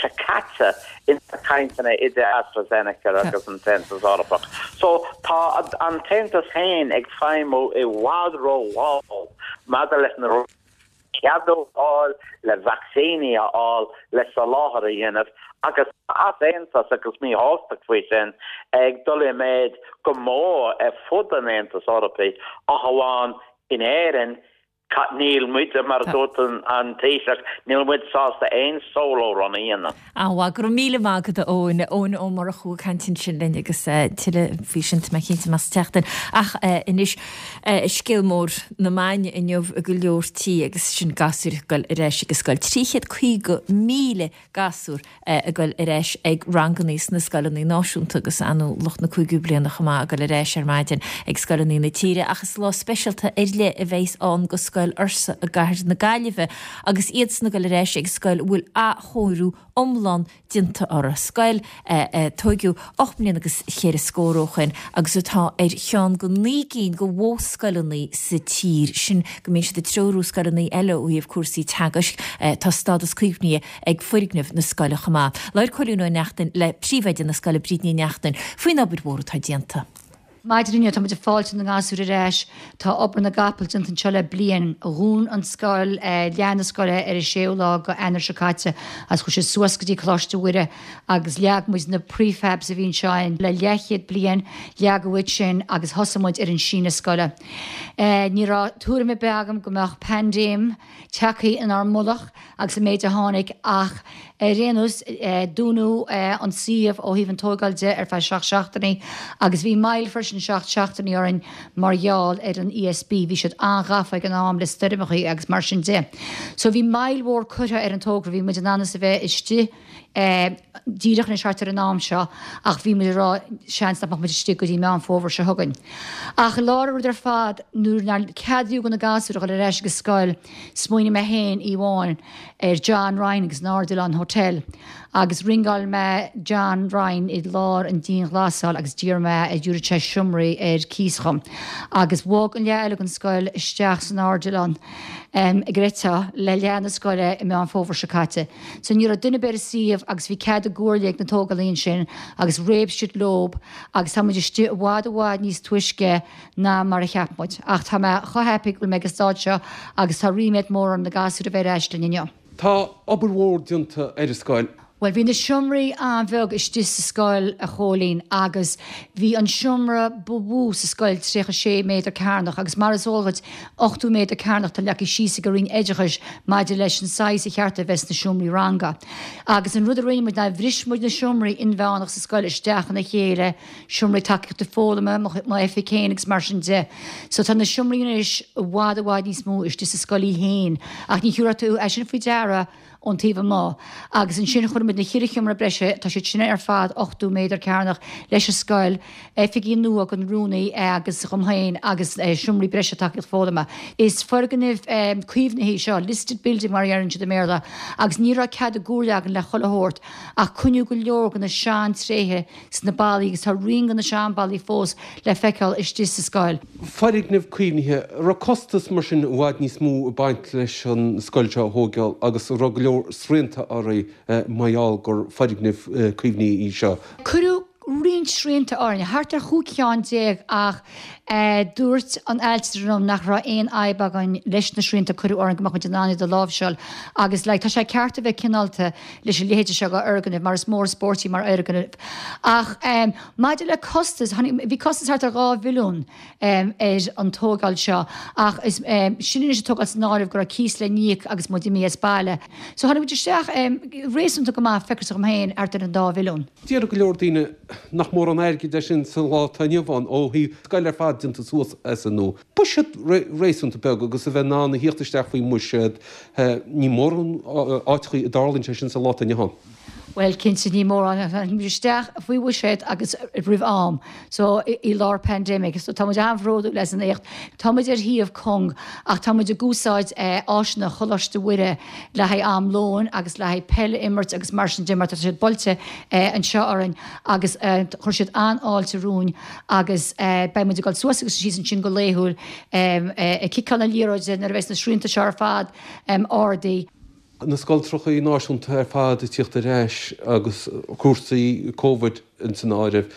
seo caite ins na cainteanna idir AstraZeneca agus an tAontas Eorpach? So tá an tAontas féin ag feidhmiú i bhfad rómhall maidir leis na ceadú a fháil, le vacsaíní a fháil, le soláthar a dhéanamh agus tá easaontas agus míshástacht faoi sin ag dul i méid go mór ar fud an Aontais Eorpaigh ach amháin in Éirinn. Níl muid, mar a dúirt an Taoiseach, níl muid sásta aon solo run a dhéanamh. Á, go raibh míle maith agat a Eoin. Eoin Ó Murchú ag caint ansin linn agus tuilleadh faoi sin tá mé cinnte amach sa tseachtain. Ach anois, scéal mór na maidine inniu i go leor tí agus sin gasúir ag dul ar ais ag an scoil. 350,000 gasúr ag dul ar ais ag rangannaí sna scoileanna náisiúnta agus ar ndóigh lucht na cúigiú bliana chomh maith ag dul ar ais ar maidin ag scoileanna na tíre. Ach is lá speisialta ar leith a bheas ann go scoil. scoil ársa i gcathair na Gaillimhe agus iadsan ag dul ar ais ag scoil a bhfuil athchóiriú iomlán déanta uirthi. Scoil a tóigeadh 8 mbliana agus cheithre scór ó shoin agus atá ar cheann de naoi gcinn de mhodhscoileanna sa tír sin go mbíonn siad ag treorú scoileanna eile ó thaobh cúrsaí teagaisc. Tá stádas caomhnaithe ag foirgneamh na scoile chomh maith. Labhair Cóilín Ó Neachtain le príomhoide na scoile, Bríd Ní Neachtain, faoin obair mhór atá déanta. Maidin inniu tá muid ag fáiltiú na ngasúr ar ais. Tá obair na gcapall déanta anseo le bliain. Dhún an scoil, leath na scoile ar an séú lá go Eanáir seo caite agus chuaigh siad suas go dtí Coláiste Mhuire agus leag muid na prefabs a bhí anseo le leathchéad bliain, leagadh iad sin agus thosaigh muid ar an síneadh scoile. Ní raibh tuairim ar bith agam go mbeadh paindéim tagtha inár mullach agus an méid a tháinig ach ar aon nós dúnadh an suíomh ó thaobh an tóigeáil de ar feadh 7 seachtainí agus bhí moill freisin 7 seachtainí orainn mar gheall ar an ESB, bhí siad an-ghafa ag an am le stoirmeachaí agus mar sin de. So bhí moill mhór curtha ar an togra, bhí muid in ainm is a bheith istigh díreach anois thart ar an am seo ach bhí muid ag rá seans nach mbeadh muid istigh go dtí Meán Fómhair seo chugainn. Ach i lár an rud ar fad nuair nár ceadaíodh do na gasúir a dhul ar ais ag an scoil smaoinigh mé féin oíche amháin ar John Ryan agus an Ardilaun Hotel agus ringeáil mé John Ryan i lár an dianghlasáil agus d'iarr mé an dtabharfadh sé seomraí ar cíos dhom agus bhog an leath eile den scoil isteach san Ardilaun ag réiteach le leath na scoile i Meán Fómhair seo caite. So ní raibh duine ar bith ar an suíomh agus bhí cead ag comhairle ag na tógálaí ansin agus réab siad leob agus tá muid istigh i bhfad i bhfad níos túisce ná mar a cheap muid. Ach tá mé chomh happy go bhfuil mé ag an staid seo agus tá ríméad mór orm na gasúir a bheith ar ais linn inniu. Tá obair mhór déanta ar an scoil. Bhuel, bhí na seomraí an-bheag istigh sa scoil, a Chóilín, agus bhí an seomra ba mhó sa scoil 36 méadar cearnach agus mar is eol dhuit, 80 méadar cearnach atá leagtha síos ag an Roinn Oideachais maidir leis an saghas a cheart a bheith sna seomraí ranga. Agus an rud a rinne muid ná bhris muid na seomraí inmheánach sa scoil isteach ina chéile, seomraí tacaíochta foghlama, m'oifig féin agus mar sin de. So tá na seomraí anois i bhfad i bhfad níos mó istigh sa scoil í féin ach ní thiúrfadh tú é sin faoi deara ón taobh amuigh agus ansin chuir muid na cheithre sheomra breise, tá siad sin ar fad 80 méadar cearnach, leis an scoil, oifigí nua don rúnaí agus dhom féin agus seomraí breise tacaíocht foghlama. Is foirgneamh caomhnaithe é seo, listed building mar a dheireann siad i mBéarla, agus ní raibh cead ag comhairle againn le chuile shórt ach coinníodh go leor de na sean-tréithe sna ballaí agus tá rian de na sean-bhallaí fós le feiceáil istigh sa scoil. Foirgneamh caomhnaithe, an raibh costas mar sin i bhfad níos mó ag baint leis an scoil seo a thóigeáil agus an raibh go leor srianta oraibh mar gheall gur foirgneamh caomhnaithe í seo? Cuireadh roinnt srianta orainn, thart ar chúig cheann déag ach dúirt an ailtire liom nach raibh aon fhadhb againn leis na srianta a cuireadh orainn go mbeadh muid in ann iad a láimhseáil agus like tá sé ceart a bheith cineálta leis a leithéide seo de fhoirgneamh mar is mór an spórt í mar fhoirgneamh. Ach maidir le costas, bhí costas thart ar 2 mhilliún ar an tógáil seo ach is sin anois ag tógáil san áireamh go raibh cíos le n-íoc agus muid imithe as baile. So tháinig muid isteach réasúnta go maith, feictear dhom féin, thart ar an dá mhilliún. Déarfadh go leor daoine nach mórán airgid é sin sa lá atá inniu ann ó thaobh scoil ar fad déanta suas as an nua. Buiséad réasúnta beag agus a bheith in ann a thíocht isteach faoin mbuiséad, ní mórán áiteachaí a dtarlaíonn sé sin sa lá atá inniu ann. Bhuel, cinnte, ní mórán. Tháinig muid isteach faoi bhuiséad agus roimh am, so i lár pandemic, so tá muid an-bhródúil as an éacht. Tá muid ar shuíomh cúng ach tá muid ag úsáid áiseanna Choláiste Mhuire le haghaidh am lóin agus le haghaidh peil a imirt agus mar sin de mar tá siad buailte anseo orainn agus chuir siad an-fháilte romhainn agus beidh muid ag dul suas agus síos ansin go laethúil ag ciceáil na liathróide nuair a bheas na srianta seo ar fad ardaithe. Na scoltrachaí náisiúnta ar fad ag tíocht ar ais agus cúrsaí Covid ins an áireamh.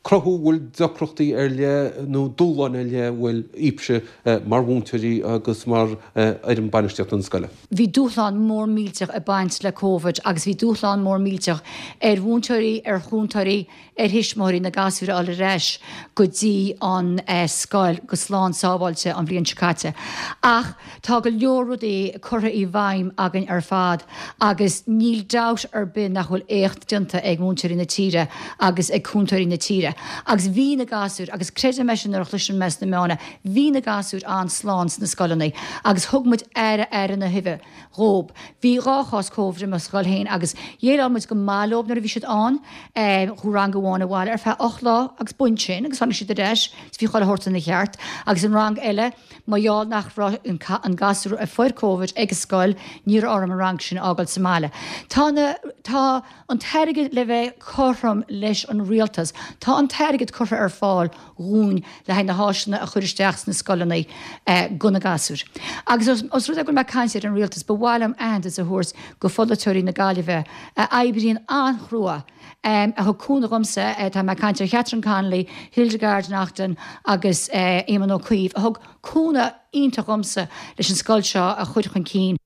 Cruthú bhfuil deacrachtaí ar leith nó dúshláin ar leith a bhfuil daoibhse mar mhúinteoirí agus mar fhoireann bainistíochta na scoile? Bhí dúshlán mór millteach ag baint le Covid agus bhí dúshlán mór millteach ar mhúinteoirí, ar chúntóirí, ar thuismitheoirí na gasúir a fháil ar ais go dtí an scoil go slán sábháilte an bhliain seo caite. Ach tá go leor rudaí curtha i bhfeidhm againn ar fad agus níl dabht ar bith nach bhfuil éacht déanta ag múinteoirí na tíre agus ag cúntóirí na tíre. Mhuire. Agus bhí na gasúir, agus creidim é sin nuair a chloiseann mé sna meáin é, bhí na gasúir an-slán sna scoileanna agus thug muid aire aire na huibhe dhób. Bhí 2 chás Covid i mo scoil féin agus dhéileáil muid go maith leob nuair a bhí siad ann. Chuaigh rang amháin abhaile ar feadh 8 lá agus b'in sin agus tháinig siad ar ais is bhí chuile shórt ina cheart. Agus an rang eile, mar gheall nach raibh an gasúr a fuair Covid ag an scoil, ní raibh orm an rang sin a fhágáil sa mbaile. Tá na, tá an t-airgead le bheith cothrom leis an rialtas, tá an t-airgead curtha ar fáil dhúinn le haghaidh na háiseanna a chur isteach sna scoileanna go na gasúir. Agus os rud é go bhfuil mé ag caint ar an rialtas, ba mhaith liom aitheantas a thabhairt go pholaiteoirí na Gaillimhe a oibríonn an-chrua, a thug cúnamh dhomsa, tá mé ag caint ar Catherine Connolly, Hildegarde Naughton agus Éamon Ó Cuív, a thug cúnamh iontach dhomsa leis an scoil seo a chur chun cinn.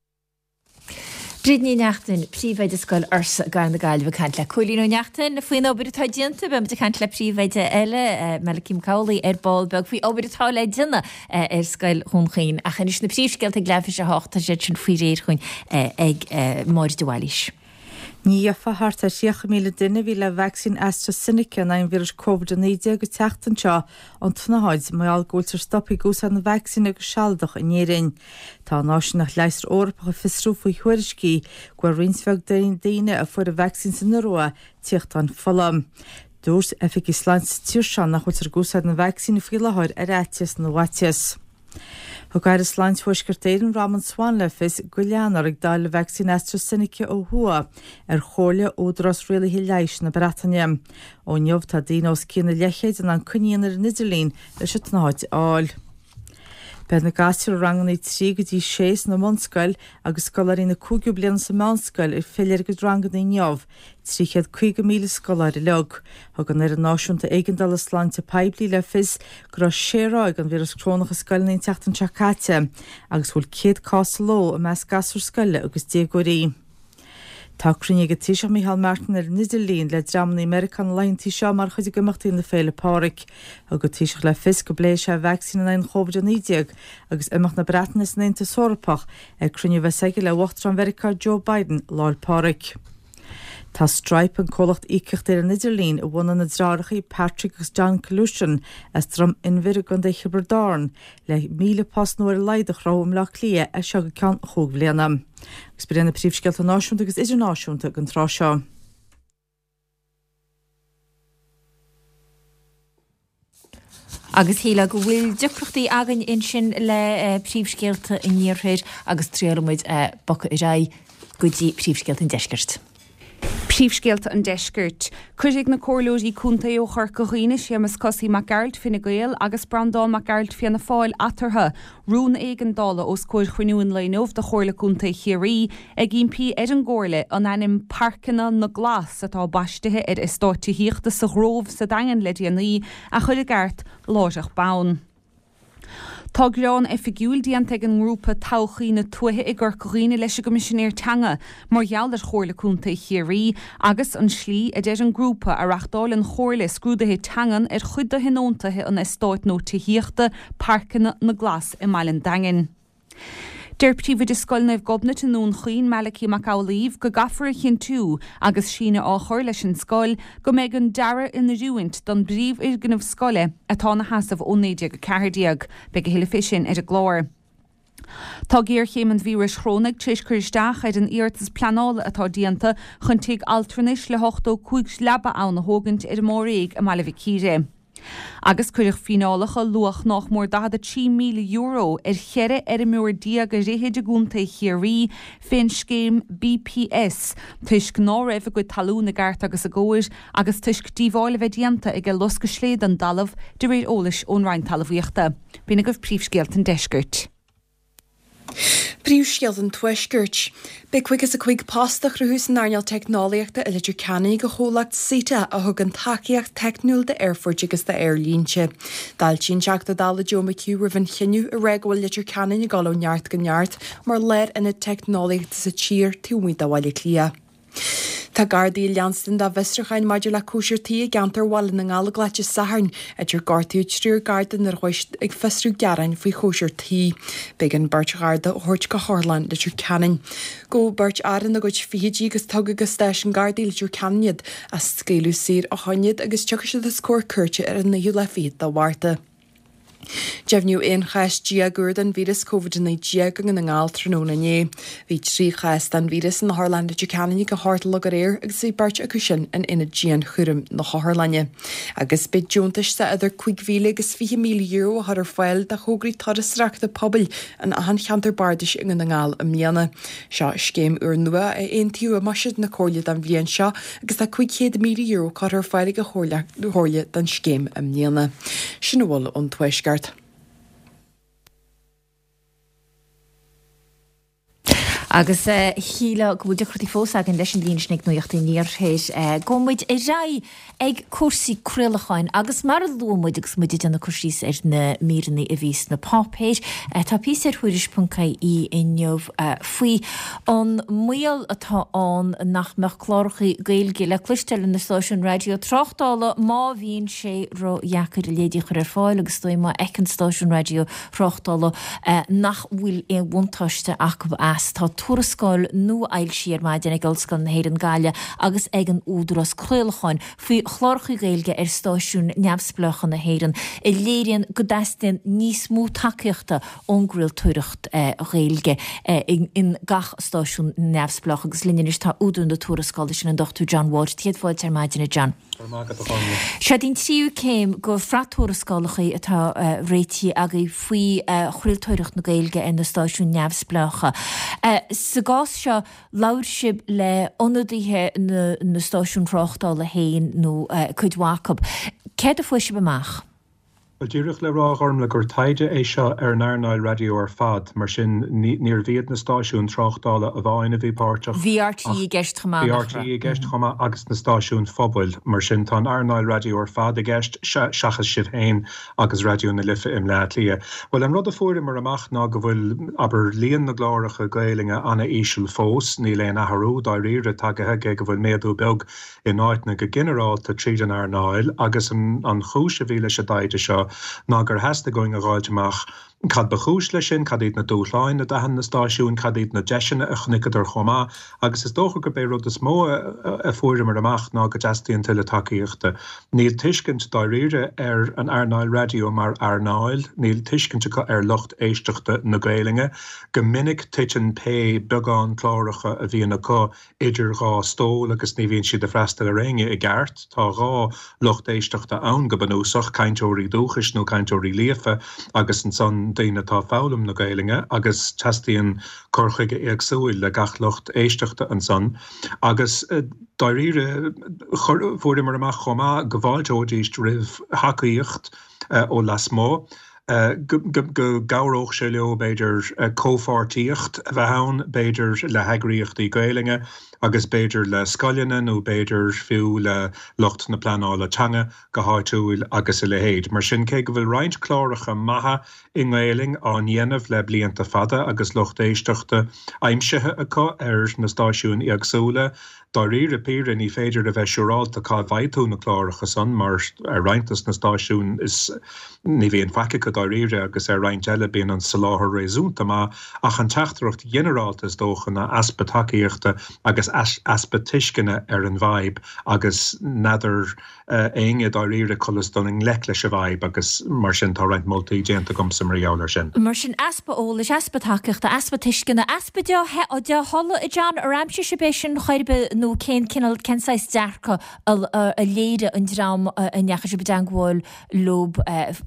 Bríd Ní Neachtain, Príomhoide Scoil Fhursa i gCathair na Gaillimhe ag caint le Cóilín Ó Neachtain faoin obair atá déanta. Beidh muid ag caint le Príomhoide eile, Malachy Mac Amhlaigh, ar ball beag faoi obair atá le déanamh ar Scoil Dhún Chaoin. Ach anois na príomhscéalta ag leathuair tar éis a hocht, tá siad sin faoi réir chugainn ag Máire de Bhailís. Ní gheofa thart ar 30,000 duine a bhí le vacsaín AstraZeneca in aghaidh an víris Covid-19 an tseachtain seo ón tsnáthaid mar gheall go bhfuiltear stoptha ag úsáid na vacsaíne go sealadach in Éirinn. Tá an Áisíneacht Leigheasra Eorpach ag fiosrú faoi thuairiscí go bhfuair roinnt bheag daoine a fuair an vacsaín san Iorua téachtáin fola. Dúirt oifigigh sláinte sa tír seo nach bhfuiltear ag úsáid na vacsaíne faoi láthair ar fhaitíos na bhfaitíos. Thug Aire Sláinte Thuaisceart Éireann Robin Swann le fios go leanfar ag dáileadh vacsaín AstraZeneca ó thuaidh ar chomhairle Údarás Rialaithe Leighis na Breataine. Ó inniu tá daoine os cionn an leathchéid in ann coinne a dhéanamh ar an idirlíon leis an tsnáthaid a fháil. Beidh na gasúir i ranganna 3 go dtí 6 sna mbunscoil agus scoláirí na cúigiú bliana sa meánscoil ag filleadh ar a gcuid ranganna inniu. 350,000 scoláire uilig. Thug an Fhoireann Náisiúnta Éigeandála Sláinte Poiblí le fios go raibh sé ráig den víreas corónach i scoileanna an tseachtain seo caite agus go bhfuil 100 cás sa ló i measc gasúr scoile agus déagóirí. Tá cruinniú ag an Taoiseach Micheál Martin ar an idirlíon le dreamanna i Meiriceá na laethanta seo mar chuid d'imeachtaí na Féile Pádraig. Thug an Taoiseach le fios go bpléifidh sé vacsaín in aghaidh an Covid-19 agus imeacht na Breataine as an Aontas Eorpach ag cruinniú a bheas aige le Uachtarán Mheiriceá Joe Biden Lá 'le Pádraig. Tá Stripe, an comhlacht íocaíochta ar an idirlíon a bhunaigh na deartháireacha Patrick agus John Collusion as Droim Inbhir i gContae Thiobraid Árann, le 1,000 post nua ar a laghad a chruthú i mBleá Cliath as seo go ceann chúig bhliana. Agus b'in iad na príomhscéalta náisiúnta agus idirnáisiúnta don tráth seo. Agus shílfeá go bhfuil deacrachtaí againn ansin le príomhscéalta an iarthair agus triailfidh muid bogadh ar aghaidh go dtí príomhscéalta an deiscirt. Príomhscéalta an Deiscirt. Cuirfidh na Comhairleoirí Contae ó Chorca Dhuibhne, Séamus Cosaí Mac Gearailt, Fine Gael, agus Breandán Mac Gearailt, Fianna Fáil, eatarthu, rún éigeandála os comhair chruinniú an lae inniu de Chomhairle Contae Chiarraí ag impí ar an gComhairle an ainm 'Pairceanna na nGlas' atá baistithe ar eastát tithíochta sa Ghrove sa Daingean le déanaí a chur i gceart láithreach bonn. Tá gearán oifigiúil déanta ag an ngrúpa Todhchaí na Tuaithe i gCorca Dhuibhne leis an gCoimisinéir Teanga mar gheall ar Chomhairle Contae Chiarraí agus an slí, a deir an grúpa, a reachtáil an Chomhairle scrúduithe teangan ar chuid de thionóntaithe an eastáit nua tithíochta, Pairceanna na nGlas i mbaile an Daingin. Deir Príomhoide Scoil Naomh Gobnait i nDún Chaoin, Malachy Mac Amhlaoibh, go gcaithfear a chinntiú, agus síneadh á chur leis an scoil, go mbeidh an dearadh in oiriúint don bpríomhfhoirgneamh scoile atá ina sheasamh ó 1914. Beidh a thuilleadh fé sin ar an gclár. Tá géarchéim an víris chorónaigh tar éis cur isteach ar an iarratas pleanála atá déanta chun tigh altranais le 85 leaba ann a thógaint ar an mBáréig i mBaile Mhic Íre. Agus cuireadh fíneálacha luach nách mór €43,000 ar 14 fheirmeoir ar fhichid i gContae Chiarraí fén scéim BPS toisc ná raibh a gcuid talún i gceart agus i gcóir agus toisc díobháil a bheith déanta ag loscadh slé don dtalamh, de réir eolais ón Roinn Talmhaíochta. B'in agaibh príomhscéalta an deiscirt. Príomhscéalta an Tuaiscirt. Beidh 55 post á chruthú san earnáil teicneolaíochta i Leitir Ceanainn ag an chomhlacht SITA a thugann tacaíocht teicniúil d'aerfoirt agus d'aerlínte. D'fháiltigh an Teachta Dála Joe McHugh roimh an chinneadh ag rá go bhfuil Leitir Ceanainn ag dul ó neart go neart mar lárionad teicneolaíochta sa tír taobh amuigh de Bhaile Átha Cliath. Tá Gardaí ag leanstan dá bhfiosrúcháin maidir le cóisir tí i gceantar Bhaile na nGallóglach Dé Sathairn, áit ar gortaíodh triúr Garda nuair a chuaigh siad ag fiosrú gearáin faoi chóisir tí. B'éigean beirt Gharda a thabhairt go hOtharlann Leitir Ceanainn. Gabhadh beirt fhear ina gcuid fichidí agus tugadh go stáisiún Gardaí Leitir Ceanainn iad ach scaoileadh saor ó shoin iad agus tiocfaidh siad os comhair cúirte ar an naoú lá fichead de Mhárta. Deimhníodh 11 chás úr den víreas Covid-19 i nDún na nGall tráthnóna inné. Bhí 3 chás den víreas in Otharlann Leitir Ceanainn ag a hocht a chlog aréir agus bhí beirt acu sin in aonad dianchúraim na hotharlainne. Agus beidh deontais de idir €5,000 agus €20,000 á chur ar fáil do thograí turasóireachta pobail in achan cheantar bardais i nDún na nGall i mbliana. Seo scéim úrnua a aontaíodh i mbuiséad na Comhairle don bhliain seo agus tá €500,000 curtha ar fáil ag an Chomhairle don scéim i mbliana. Sin a bhfuil ón Tuaisceart. Agus shílfeá go bhfuil deacrachtaí fós againn leis an líne sin ag Nuacht an Iarthair. Gabhfaidh muid ar aghaidh ag cúrsaí craolacháin agus mar a luaigh muid agus muid ag déanamh cur síos ar na míreanna a bhí sna páipéir, tá píosa ar Thuairisc.ie inniu faoi an mbaol atá ann nach mbeadh cláracha Gaeilge le cloisteáil ar na stáisiúin raidió tráchtála má bhíonn sé ródheacair a leithéidí a chur ar fáil agus is dóigh má fheiceann stáisiún raidió thráchtála nach bhfuil aon bhuntáiste acu as. Tá tuarascáil nua fhoilsithe ar maidin ag Ollscoil na hÉireann Gaillimh agus ag an Údarás Craolacháin faoi chláracha Gaeilge ar stáisiúin neamhspleácha na hÉireann a léiríonn go dteastaíonn níos mó tacaíochta ón gcraoltóireacht Ghaeilge in gach stáisiún neamhspleách agus linn anois tá údar na tuarascála sin, an Dr John Walsh. Céad fáilte ar maidin, a John. Go raibh maith agat, a Ghormlaith. Seod í an tríú céim de shraith tuarascálacha atá réitithe agaibh faoi chraoltóireacht na Gaeilge ar na stáisiúin neamhspleácha. Sa gcás seo, labhair sibh le ionadaithe na stáisiún thráchtála féin nó cuid mhaith acu. Céard a fuair sibh amach? Bhuel, díreach le rá, a Ghormlaith, gur taighde é seo ar an earnáil raidió ar fad, mar sin níorbh iad na stáisiúin tráchtála amháin a bhí páirteach, Bhí RTÉ i gceist chomh maith, nach raibh? Bhí RTÉ i gceist chomh maith agus na stáisiúin phobail, mar sin tá an earnáil raidió ar fad i gceist, seachas sibh féin agus Raidió na Life i mBleá Cliath. Bhuel, an rud a fuaireamar amach ná go bhfuil, abair, líon na gcláracha Gaelainne ana-íseal fós, níl aon athrú dáiríre tagaithe, cé go bhfuil méadú beag in áiteanna go ginearálta tríd an earnáil agus an chúis a bhí leis an dtaighde seo ná gur theastaigh uainn a dh'fháilt amach cad ba chúis leis sin, cad iad na dúshláin a d'aithin na stáisiúin, cad iad na deiseanna a chonaiceadar chomh maith agus is dócha gurb é rud is mó a fuaireamar amach ná go dteastaíonn tuilleadh tacaíochta. Níl tuiscint dáiríre ar an earnáil raidió mar earnáil, níl tuiscint acu ar lucht éisteachta na Gaelainne. Go minic titeann pé beagán cláracha a bhíonn acu idir dhá stól agus ní bhíonn siad ag freastal ar éinne i gceart. Tá dhá lucht éisteachta ann go bunúsach, cainteoirí dúchais nó cainteoirí líofa agus ansan daoine atá ag foghlaim na Gaelainne agus teastaíonn cur chuige éagsúil le gach lucht éisteachta ansan. Agus dáiríre, fuaireamar amach chomh maith go bhfáilteoidíst roimh thacaíocht ó lasmuigh. go gcabhródh sé leo, b'fhéidir, comhpháirtíocht a bheith ann, b'fhéidir le heagraíochtaí Gaelainne agus b'fhéidir le scoileanna nó b'fhéidir fiú le lucht na pleanála teanga go háitiúil agus a leithéid. Mar sin, cé go bhfuil roinnt cláracha maithe i nGaelainn á ndéanamh le blianta fada agus lucht éisteachta aimsithe acu ar na stáisiúin éagsúla, Dáiríre píre, ní féidir a bheith siúrálta cá bhfaighidh tú na cláracha san, mar ar roinnt dos na stáisiúin is ní bhíonn faic acu dáiríre agus ar roinnt eile bíonn an soláthar réasúnta maith, ach an teachtaireacht ghinearálta is dócha ná easpa tacaíochta agus easpa tuisceana ar an bhfadhb agus n'fheadar éinne dáiríre conas dul i ngleic leis an bhfadhb agus mar sin tá roinnt moltaí déanta agamsa mar gheall air sin. Mar sin, easpa eolais, easpa tacaíochta, easpa tuisceana, easpa dea-thola, a John, ar aimsigh sibh é sin chor ar bith nó cén cineál, cén saghas dearcadh a léirigh an dream a ndeachaigh sibh i dteangmháil leo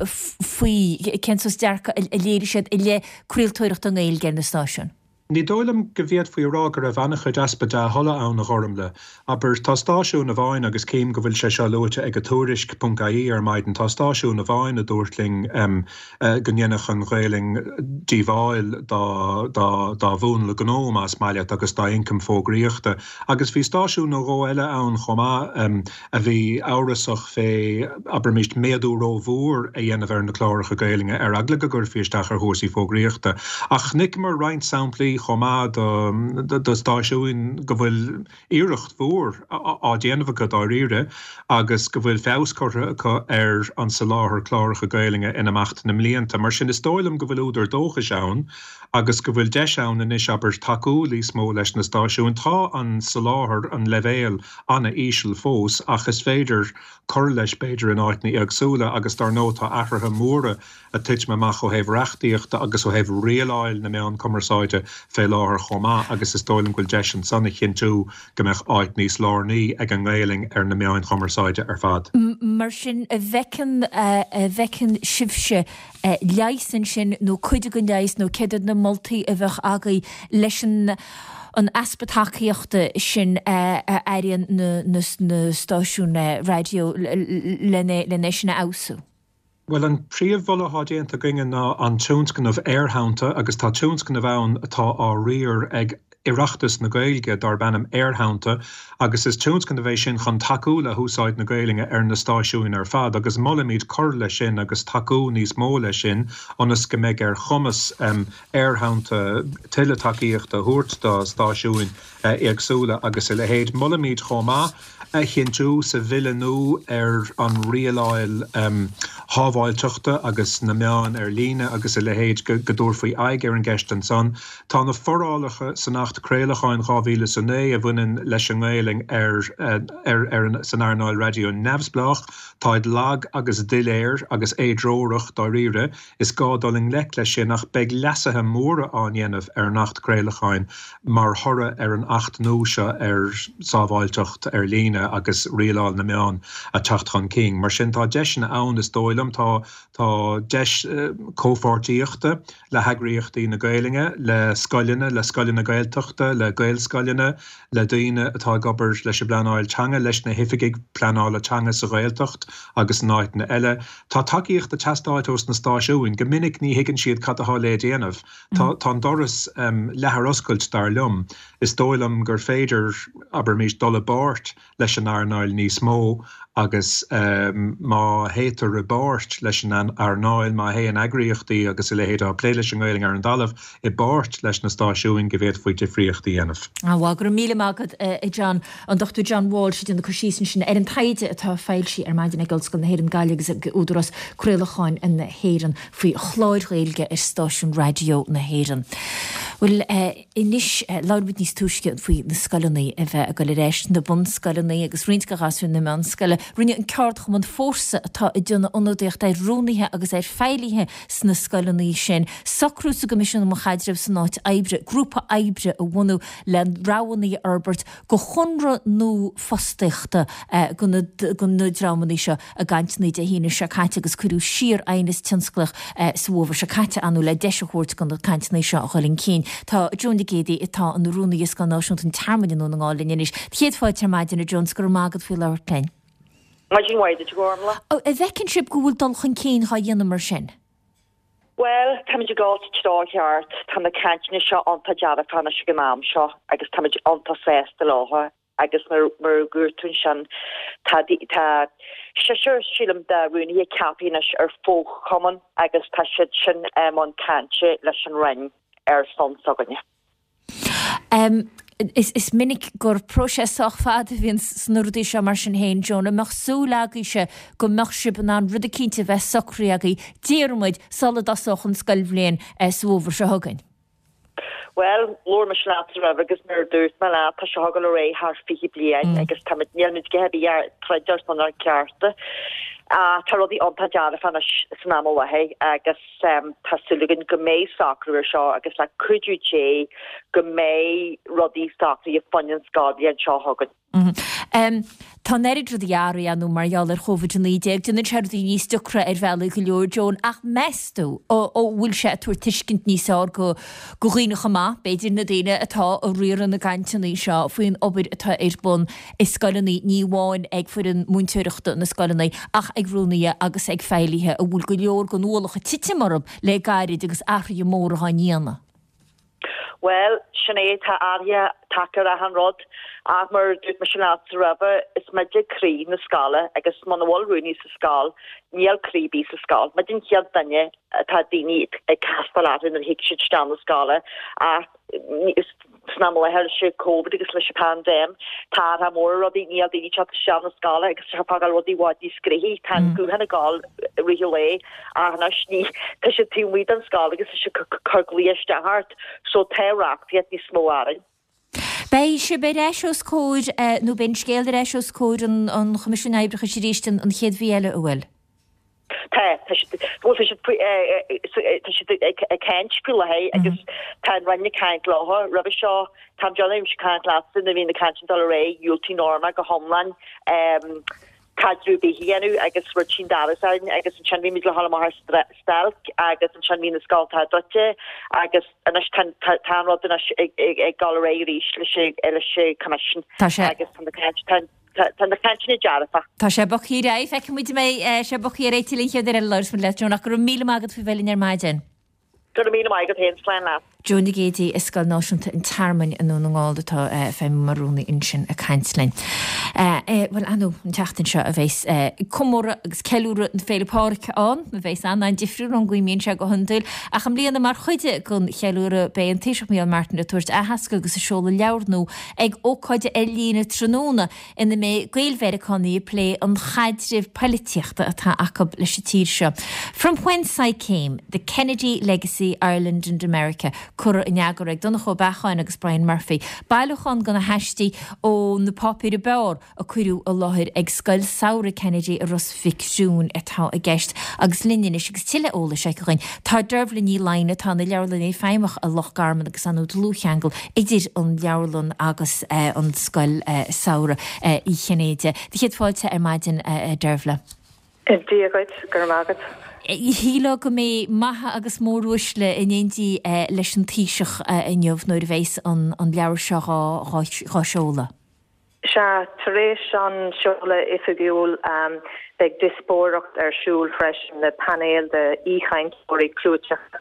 faoi, cén saghas dearcadh a léirigh siad i leith craoltóireachta i nGaeilge ar na stáisiúin? Ní dóigh liom go bhféadfaí a rá go raibh an-chuid easpa dea-thola ann, a Ghormlaith. Abair, tá stáisiún amháin, agus cím go bhfuil sé seo luaite ag Tuairisc ponc ie ar maidin, tá stáisiún amháin a dúirt linn go ndéanfadh an Ghaelainn díobháil dá dá mhúnla gnó, más maith leat, agus dá ioncam fógraíochta. Agus bhí stáisiún nó dhó eile ann chomh maith a bhí amhrasach fé, abraimis, méadú rómhór a dhéanamh ar na cláracha Gaelainne ar eagla go gcuirfí isteach ar chúrsaí fógraíochta. Ach chonaiceamar roinnt samplaí. chomh maith do do stáisiúin go bhfuil iarracht mhór á déanamh acu dáiríre agus go bhfuil feabhas curtha acu ar an soláthar cláracha Gaelainne in imeacht na mblianta. Mar sin is dóigh liom go bhfuil údar dóchais ann agus go bhfuil deis ann anois, abair, tacú níos mó leis na stáisiúin. Tá an soláthar, an leibhéal, an-íseal fós ach is féidir cur leis b'fhéidir in áiteanna éagsúla agus dar ndóigh tá athruithe móra ag titim amach ó thaobh reachtaíochta agus ó thaobh rialáil na meán cumarsáide fé láthair chomh maith agus is dóigh liom go bhfuil deis ansan a chinntiú go mbeadh áit níos lárnaí ag an nGaelainn ar na meáin chumarsáide ar fad. Mar sin, a bhfeiceann, a bhfeiceann sibhse leigheas ansin nó cuid den leigheas nó céard iad na moltaí a bheadh agaibh leis an an easpa tacaíochta sin a airíonn na stáisiúin raidió lena sin a fheabhsú? Bhuel, an príomh-mholadh atá déanta againne ná an tionscnamh Aerthonnta agus tá tionscnamh ann atá á riar ag Oireachtas na Gaeilge darb ainm Aerthonnta agus is tionscnamh é sin chun tacú le húsáid na Gaelainne ar na stáisiúin ar fad agus molaimid cur leis sin agus tacú níos mó leis sin ionas go mbeidh ar chumas Aerthonnta tuilleadh tacaíochta a thabhairt do stáisiúin éagsúla agus a leithéid. Molaimid chomh maith a chinntiú sa bhille nua ar an rialáil shábháilteachta agus na meáin ar líne agus a leithéid go dtabharfaí aghaidh ar an gceist ansan. Tá na forálacha san Acht Craolacháin 2009 a bhaineann leis an nGaelainn ar ar san earnáil raidió neamhspleách, táid lag agus doiléir agus éidreorach dáiríre. Is gá dul i ngleic leis sin ach beidh leasuithe móra á ndéanamh ar an Acht Craolacháin mar thoradh ar an Acht nua seo ar sábháilteacht ar líne agus rialáil na meán ag teacht chun cinn. Mar sin tá deiseanna ann is dóigh liom. Tá tá deis comhpháirtíochta le heagraíochtaí na Gaelainne, le scoileanna, le scoileanna Gaeltachta, le Gaelscoileanna, le daoine atá ag obair leis an bpleanáil teanga, leis na hoifigigh pleanála teanga sa Ghaeltacht agus in áiteanna eile. Tá tacaíocht ag teastáilt ós na stáisiúin. Go minic ní thuigeann siad cad atá le déanamh. Tá tá an doras leath ar oscailt, dar liom. Is dóigh liom gur féidir, abraimis, dul i bpáirt leis an earnáil níos mó agus má théitear i bpáirt leis an earnáil, má théann eagraíochtaí agus a leithéid atá ag plé leis an nGaelainn ar an dtalamh i bpáirt leis na stáisiúin go bhféadfaí difríocht a dhéanamh. Bhuel, go raibh míle maith agat, a John. An Dr John Walsh ag déanamh cur síos ansin ar an taighde atá foilsithe ar maidin ag Ollscoil na hÉireann Gaillimh agus ag Údarás Craolacháin na hÉireann faoi chláir Ghaeilge ar stáisiúin raidió na hÉireann. Bhuel, anois, labhair muid níos túisce faoi na scoileanna a bheith ag dul ar ais, na bunscoileanna agus roinnt de ghasúir na meánscoile. Rinne an ceardchumann Fórsa, atá ag déanamh ionadaíocht ar rúnaithe agus ar feighlithe sna scoileanna sin, socrú sa gCoimisiún um Chaidreamh san Áit Oibre, grúpa oibre a bhunú le roghanna a fhorbairt do chonradh nua fostaíochta do na dreamanna seo i gcainteanna Dé hAoine seo caite agus cuireadh siar aighneas tionsclaíoch sa bhfómhar seo caite ar ndóigh le deis a thabhairt do na cainteanna seo a dhul chun cinn. Tá Joan Nic Géadaigh atá ina rúnaí i Scoil Náisiúnta an Tearmainn i nDún na nGall linn anois. Céad fáilte ar maidin a Joan 's go raibh maith agat faoi labhairt linn. Maidin mhaith duit a Ghormlaith. An bhfeiceann sibh go bhfuil dul chun cinn dhá dhéanamh mar sin? Bhuel, táimid ag dul sa treo cheart. Tá na cainteanna seo iontach dearfach anois ag an am seo agus táimid iontach sásta leo agus mar mar a dúirt tú ansin, tá tá seisear, sílim, de rúnaithe ceaptha anois ar fho-chumann agus tá siad sin i mbun cainte leis an Roinn ar son s'againne. Is minic gur próiseas sách fada a bhíonn sna rudaí seo mar sin féin, Joan. An mbeadh súil agaibhse go mbeadh sibh in ann rud eicínt a bheith socraithe agaibh, déarfaidh muid, sula dtosódh an scoilbhliain sa bhfómhar seo chugainn? Bhuel, labhair mise leat roimhe agus mar a dúirt mé leat, tá seo ag dul ar aghaidh thar 20 bliain agus táimid, nílimid go heavy ag troid ar son ár gcearta. Tá rudaí iontach dearfach anois san am i láthair agus. Tá súil againn go mbeidh socrú ar seo agus le cuidiú Dé go mbeidh rudaí socraithe fá choinne an scoilbhliain seo chugainn. Tá an oiread rudaí athraithe ar ndóigh mar gheall ar Covid-19. Déanann sé rudaí níos deacra ar bhealaí go leor, Joan, ach meas tú an bhfuil sé ag tabhairt tuiscint níos fearr do dhaoine chomh maith, b'fhéidir na daoine atá ag riaradh na gcainteanna seo faoin obair atá ar bun i scoileanna, ní amháin ag foireann múinteoireachta na scoileanna ach ag rúnaithe agus ag feighlithe a bhfuil go leor den ualach ag titim orthu le gairid agus athruithe móra á ndéanamh. Bhuel, sin é, tá athruithe, taca ar achan rud. Ach mar a dúirt mise leatsa roimhe, is muide croí na scoile agus muna bhfuil rúnaí sa scoil, níl croí ar bith sa scoil. Muid an chéad duine atá daoine ag castáil orthu nuair a thig siad isteach na scoile ach san am i láthair leis an Covid agus leis an pandéim, tá athrú mór ar rudaí, níl daoine ag teacht isteach na scoile agus tá fágáil rudaí i bhfad níos gnoithí, tá an guthán ag gabháil i rith an lae ach anois ní, tá siad taobh amuigh den scoil agus tá siad ag cur glaoch isteach ort so tá reachtaíocht níos mó orainn. Beidh sibh ar ais os comhair, nó beidh an scéal ar ais os comhair an Choimisiúin Oibreachais arís an chéad mhí eile, an bhfuil? Tá, tá siad, bhuel tá siad faoi, tá siad ag caint faoi láthair agus tá an Roinn ag caint leo. Roimhe seo, tá mé ag déanamh ag caint leatsa nuair a bhí na cainteanna ag dul ar aghaidh, dhiúltaigh Norma go hiomlán caidreamh ar bith a dhéanamh agus rud sin d'fhearas orainn agus ansin bhí muid le dhul amach ar stailc agus ansin bhí na scoltacha druidte agus anois tá tá an rud anois ag ag dul ar aghaidh arís leis leis an Coimisiún agus tá na caint tá Tá na cainteanna dearfach. Tá sé bogtha ar aghaidh. Feicfidh muid an mbeidh sé bogtha ar aghaidh tuilleadh an chéad uair eile a labhras muid leat, Joan, ach go raibh míle maith agat faoi bheith linn ar maidin. Go raibh míle maith agat féin. Slán leat. Joan Nic Géidigh i Scoil Náisiúnta an Tearmainn i nDún na nGall atá ag feidhmiú mar rúnaí ansin ag caint linn. Bhuel, ar ndóigh, an tseachtain seo a bheas comóradh agus ceiliúradh na Féile Pádraig ann, a bheas an-an-difriúil ón gcaoi a mbíonn sé go hiondúil, ach i mbliana mar chuid den cheiliúradh beidh an Taoiseach Micheál Martin ag tabhairt aitheasc agus ag seoladh leabhar nua ag ócáid ar líne tráthnóna ina mbeidh Gael-Mheiriceánaigh ag plé an chaidrimh poilitíochta atá acu leis an tír seo. From Whence I Came, The Kennedy Legacy, Ireland and America, curtha in eagar ag Donncha Ó Beacháin agus Brian Murphy, bailiúchán de na haistí ó na páipéir ab fhearr a cuireadh i láthair ag Scoil Samhraidh Kennedy i Ros Mhic Thriúin atá i gceist agus linn anois agus tuilleadh eolais aici dhuinn tá Dervla Ní Laighin atá ina leabharlannaí feidhmeach i Loch Garman agus ar ndóigh dlúthcheangal idir an leabharlann agus an Scoil Samhraidh Uí Chinnéide. Do chéad fáilte ar maidin a Dervla. Dia dhuit, go raibh maith agat. Shílfeá go mbeidh maithe agus móruaisle in éindí leis an Taoiseach inniu nuair a bheas an leabhar seo dhá sheoladh. Sea, tar éis an seoladh oifigiúil, beidh diospóireacht ar siúl freisin le painéal de aoichainteoirí clúiteacha.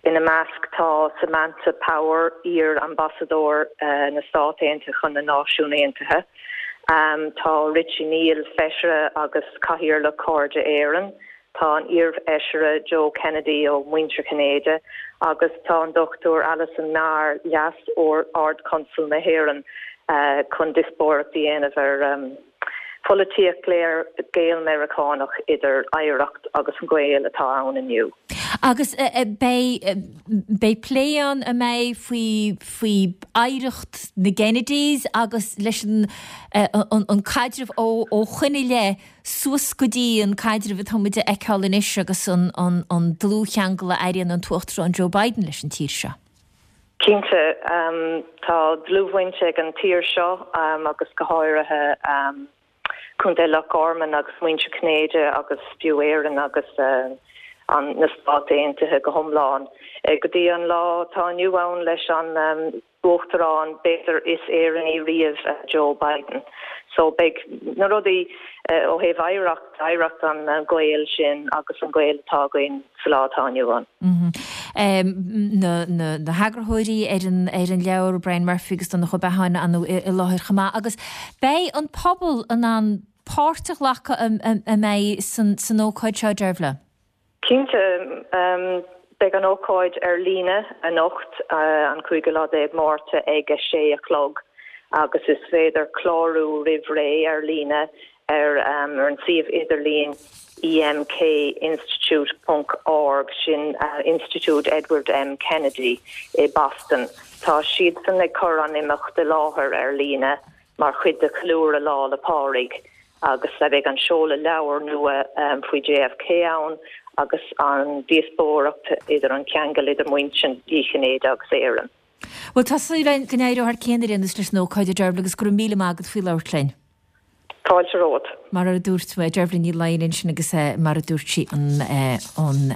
Ina measc tá Samantha Power, iar-ambasadóir na Stát Aontaithe chun na Náisiún Aontaithe, tá Richie Neal, Feisire agus Cathaoirleach Cairde Éireann, Tá an iarfheisire Joe Kennedy ó Mhuintir Chinnéide agus tá an Dr Alison Meagher, Leas-Ard-Chonsal na hÉireann, chun diospóireacht a dhéanamh ar pholaitíocht Gael-Meiriceánach idir oidhreacht agus an gaol atá ann inniu. Agus beidh beidh plé ann an mbeidh faoi faoi oidhreacht na gKennedys agus leis an an caidreamh ó ó shoin i leith suas go dtí an caidreamh atá muid a fheiceáil anois agus an dlúthcheangal a airíonn an tUachtarán Joe Biden leis an tír seo. Cinnte, tá dlúthbhaint ag an tír seo agus go háirithe Contae Loch Garman agus muintir Chinnéide agus fiú Éirinn agus na Stáit Aontaithe go hiomlán go dtí an lá atá inniu ann leis an Uachtarán, b'fhéidir, is Éireannaí riamh, Joe Biden. So beidh na rudaí ó thaobh oidhreacht, oidhreacht an ghaoil sin agus an gaol atá againn sa lá atá inniu ann. Na heagarthóirí ar an ar an leabhar, Brian Murphy agus Donncha Ó Beacháin, ar ndóigh i láthair chomh maith. Agus beidh an pobal in ann páirt a ghlacadh an mbeidh san ócáid seo, Dervla? Cinnte, beidh an ócáid ar líne anocht, an cúigiú lá déag Márta ag a sé a chlog agus is féidir clárú roimh ré ar líne ar an suíomh idirlín emkinstitute ponc org, sin Institiúid Edward M Kennedy i Boston. Tá siadsan ag cur an imeacht i láthair ar líne mar chuid de cheiliúradh Lá 'le Pádraig agus beidh an seoladh leabhar nua faoi JFK ann agus an díospóireacht idir an ceangal idir muintir Uí Chinnéide agus Éirinn. Bhuel, tá súil againn go n-éireoidh thar cionn ar aon nós leis an ócáid, a Dervla, agus go raibh míle maith agat faoi labhairt linn. Fáilte romhat. Mar a dúirt mé, Dervla Ní Laighin ansin agus mar a dúirt sí an an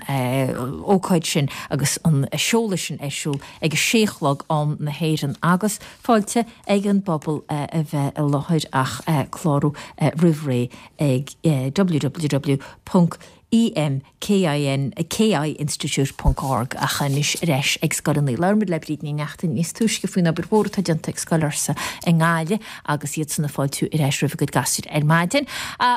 ócáid sin agus an seoladh sin ar siúl ag a sé a chlog am na hÉireann agus fáilte ag an bpobal a bheith i láthair ach clárú roimh ré ag www.emkinstitute.org. E M K I N K I Institute ponc org Ach anois ar ais ag scoileanna. Labhair muid le Bríd Ní Neachtain níos túisce faoin obair mhór atá déanta ag Scoil Fhursa i nGaillimh agus iadsan ag fáiltiú ar ais roimh a gcuid gasúir ar maidin.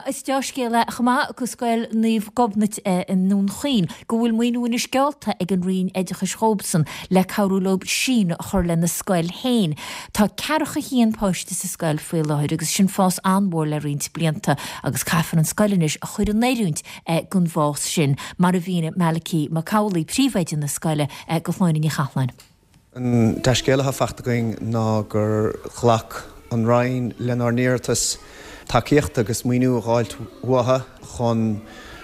Is dea-scéal é chomh maith go Scoil Naomh Gobnait i nDún Chaoin go bhfuil maoiniú anois geallta ag an Roinn Oideachais dhóibhsan le cabhrú leo síneadh a chur lena scoil féin. Tá ceathracha haon páiste sa scoil faoi láthair agus sin fás an-mhór le roinnt blianta agus caithfear an scoil anois a chur in oiriúint don bhfás sin, mar a mhínigh Malachy Mac Amhlaigh, príomhoide na scoile, do Shláine Ní Chathalláin. An dea-scéal atá faighte againn ná gur ghlac an Roinn lenár n-iarratas tacaíocht agus maoiniú a dh'fháilt uathu chun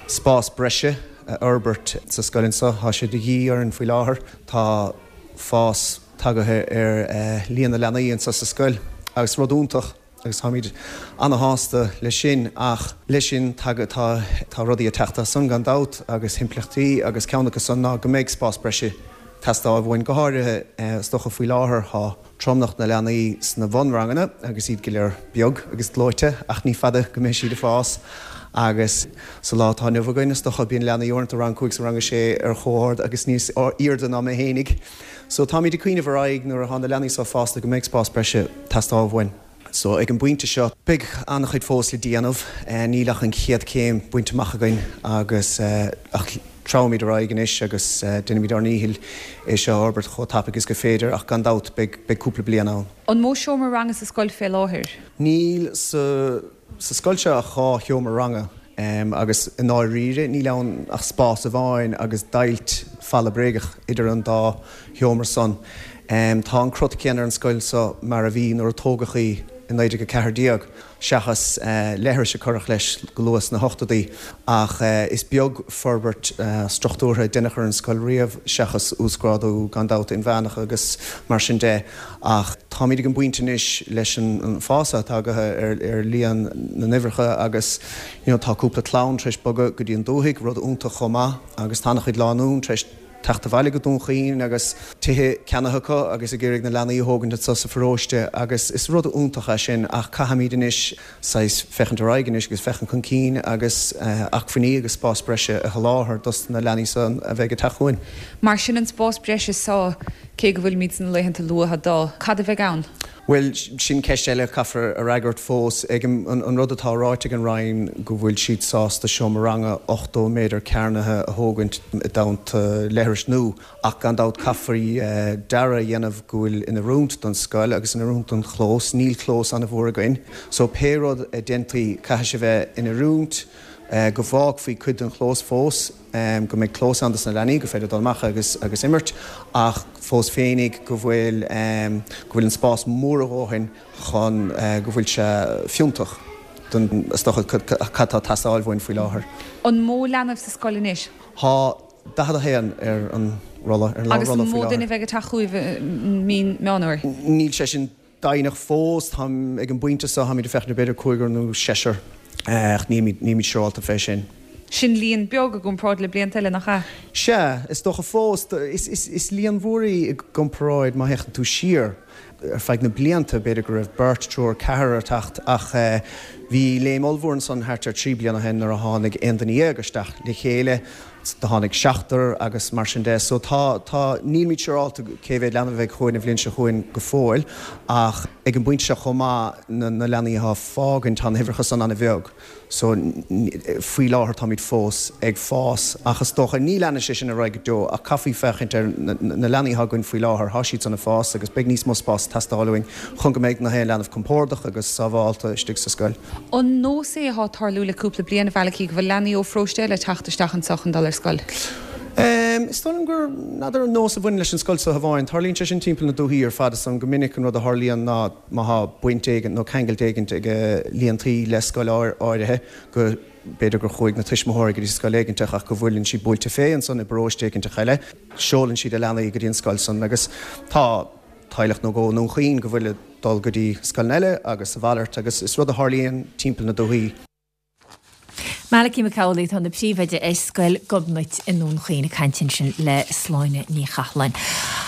spás breise a fhorbairt sa scoil anseo. Tá sé de dhíth orainn faoi láthair. Tá fás tagaithe ar líon na leanaí anseo sa scoil agus rud iontach agus táimid ana-shásta leis sin ach leis sin tá tá rudaí ag teacht as san gan dabht agus impleachtaí agus ceann acu san ná go mbeidh spás breise ag teastáil uainn go háirithe is dócha faoi láthair tá tromlach na leanaí sna bhunranganna agus iad go léir beag agus gleoite ach ní fada go mbeidh siad ag fás agus sa lá atá inniu againn is dócha bíonn leanaí uaireanta rang 5 is rang 6 ar chomh ard agus níos airde ná mé fhéinig. So táimid ag cuimhneamh ar aghaidh nuair atá na leanaí seo fásta go mbeidh spás breise ag teastáil uainn. So ag an bpointe seo beidh an-chuid fós le déanamh, níl ach an chéad chéim bainte amach againn agus ach treabhaimid ar aghaidh anois agus déanfaimid ár ndícheall é seo a fhorbairt chomh tapaidh is gur féidir ach gan dabht beidh beidh cúpla bliain ann. An mó seomra ranga sa scoil fé láthair? Níl sa Sa scoil seo ach 2 sheomra ranga agus i ndáiríre níl ann ach spás amháin agus deighilt falla bréagach idir an dá sheomra san. Tá an crot céanna ar an scoil seo mar a bhí nuair a tógadh í i 1914, seachas leithris a cuireadh leis go luath sna hochtóidí, ach is beag forbairt struchtúrtha a deineadh ar an scoil riamh seachas uasghrádú gan dabht inmheánach agus mar sin de. Ach táimid ag an bpointe anois leis an fás atá tagaithe ar líon na n-uimhreacha agus you know tá cúpla clann tar éis bogadh go dtí an dúthaigh, rud iontach chomh maith, agus tá an-chuid lánúin tar éis teacht abhaile go Dún Chaoin agus tithe ceannaithe acu agus ag iarraidh na leanaí a thógaint anseo sa pharóiste agus is rud iontach é sin ach caithfimid anois saghas féachaint ar aghaidh anois agus féachaint chun cinn agus acmhainní agus spás breise a sholáthar dos na leanaí san a bheidh ag teacht chugainn. Mar sin an spás breise so, cé go bhfuilimid sna laethanta luatha dó, cad a bheidh ann? Bhuel, sin ceist eile a chaithfear a fhreagairt fós. Ag an rud atá ráite ag an Roinn go bhfuil siad sásta seomra ranga 80 méadar cearnaithe a thógaint i dteannta leithris nua. Ach gan dabht caithfear dearadh a dhéanamh go bhfuil in oiriúint don scoil agus in oiriúint don chlós. Níl clós an-mhór againn so pé rud a déanfaí caithfidh sé bheith in oiriúint go bhfágfaí cuid den chlós fós, go mbeidh clós ann dos na leanaí gur féidir dul amach agus agus imirt ach fós féinig go bhfuil go bhfuil an spás mór a dhóthain chun go bhfuil sé fiúntach don is dócha cad tá ag teastáil uainn faoi láthair. An mó leanbh sa scoil anois? Tá 41 ar an rolla, ar an Agus an mó duine a bheidh ag teacht chugaibh i mí Meán Fhómhair? Níl sé sin deimhneach fós. Táim ag an bpointe seo, táimid ag féachaint ar b'fhéidir cúigear nó seisear, ach nílimid, nílimid siúrálta fé sin. Sin líon beag i gcomparáid le blianta eile, nach ea? Sea, is dócha fós. Is, is, is líon mhór í i gcomparáid má théann tú siar. Ar feadh na blianta, b'fhéidir go raibh beirt, triúr, ceathrar ag teacht ach bhí léim ollmhór ansan thart ar thrí bliana ó shin nuair a tháinig 11 duine isteach le chéile, do tháinig seachtar agus mar sin de. So tá, tá, nílimid siúrálta cé mhéad leanbh a bheidh chugainn an bhliain seo chugainn go fóill ach ag an bpointe seo chomh maith, na, na leanaí atá ag fágaint, tá na huimhreacha san an-bheag. So, faoi láthair táimid fós ag fás ach is dócha, ní leanfaidh sé sin ar aghaidh go deo ach caithfí féachaint ar na leanaí atá againn faoi láthair, tá siad san ag fás agus beidh níos mó spás ag teastáil uainn chun go mbeidh na haon leanbh compordach agus sábhálta istigh sa scoil. An nós é atá ag tarlú le cúpla bliain, a Mhalachy, go bhfuil leanaí ó pharóiste eile ag teacht isteach anseo chun dul ar scoil? Is dóigh liom gur, n'fheadar an nós a bhaineann leis an scoil seo amháin, tarlaíonn sé sin timpeall na dúthaí ar fad, is dóigh liom go minic an rud a tharlaíonn ná, má thá baint éigin nó ceangailt éigint ag líon tí le scoil áirithe, go b'fhéidir gur chuaigh na tuismitheoirí go dtí scoil éiginteach ach go bhfuileann siad buailte fé ansan i bparóiste éiginteach eile, seolann siad a leanaí go dtí an scoil san agus tá teaghlach nó dhó i nDún Chaoin go bhfuil ag dul go dtí scoileanna eile agus a mhalairt agus is rud a tharlaíonn timpeall na dúthaí. Malachy Mac Amhlaigh atá ina phríomhoide ar Scoil Gobnait i nDún Chaoin ag caint ansin le Sláine Ní Chathalláin.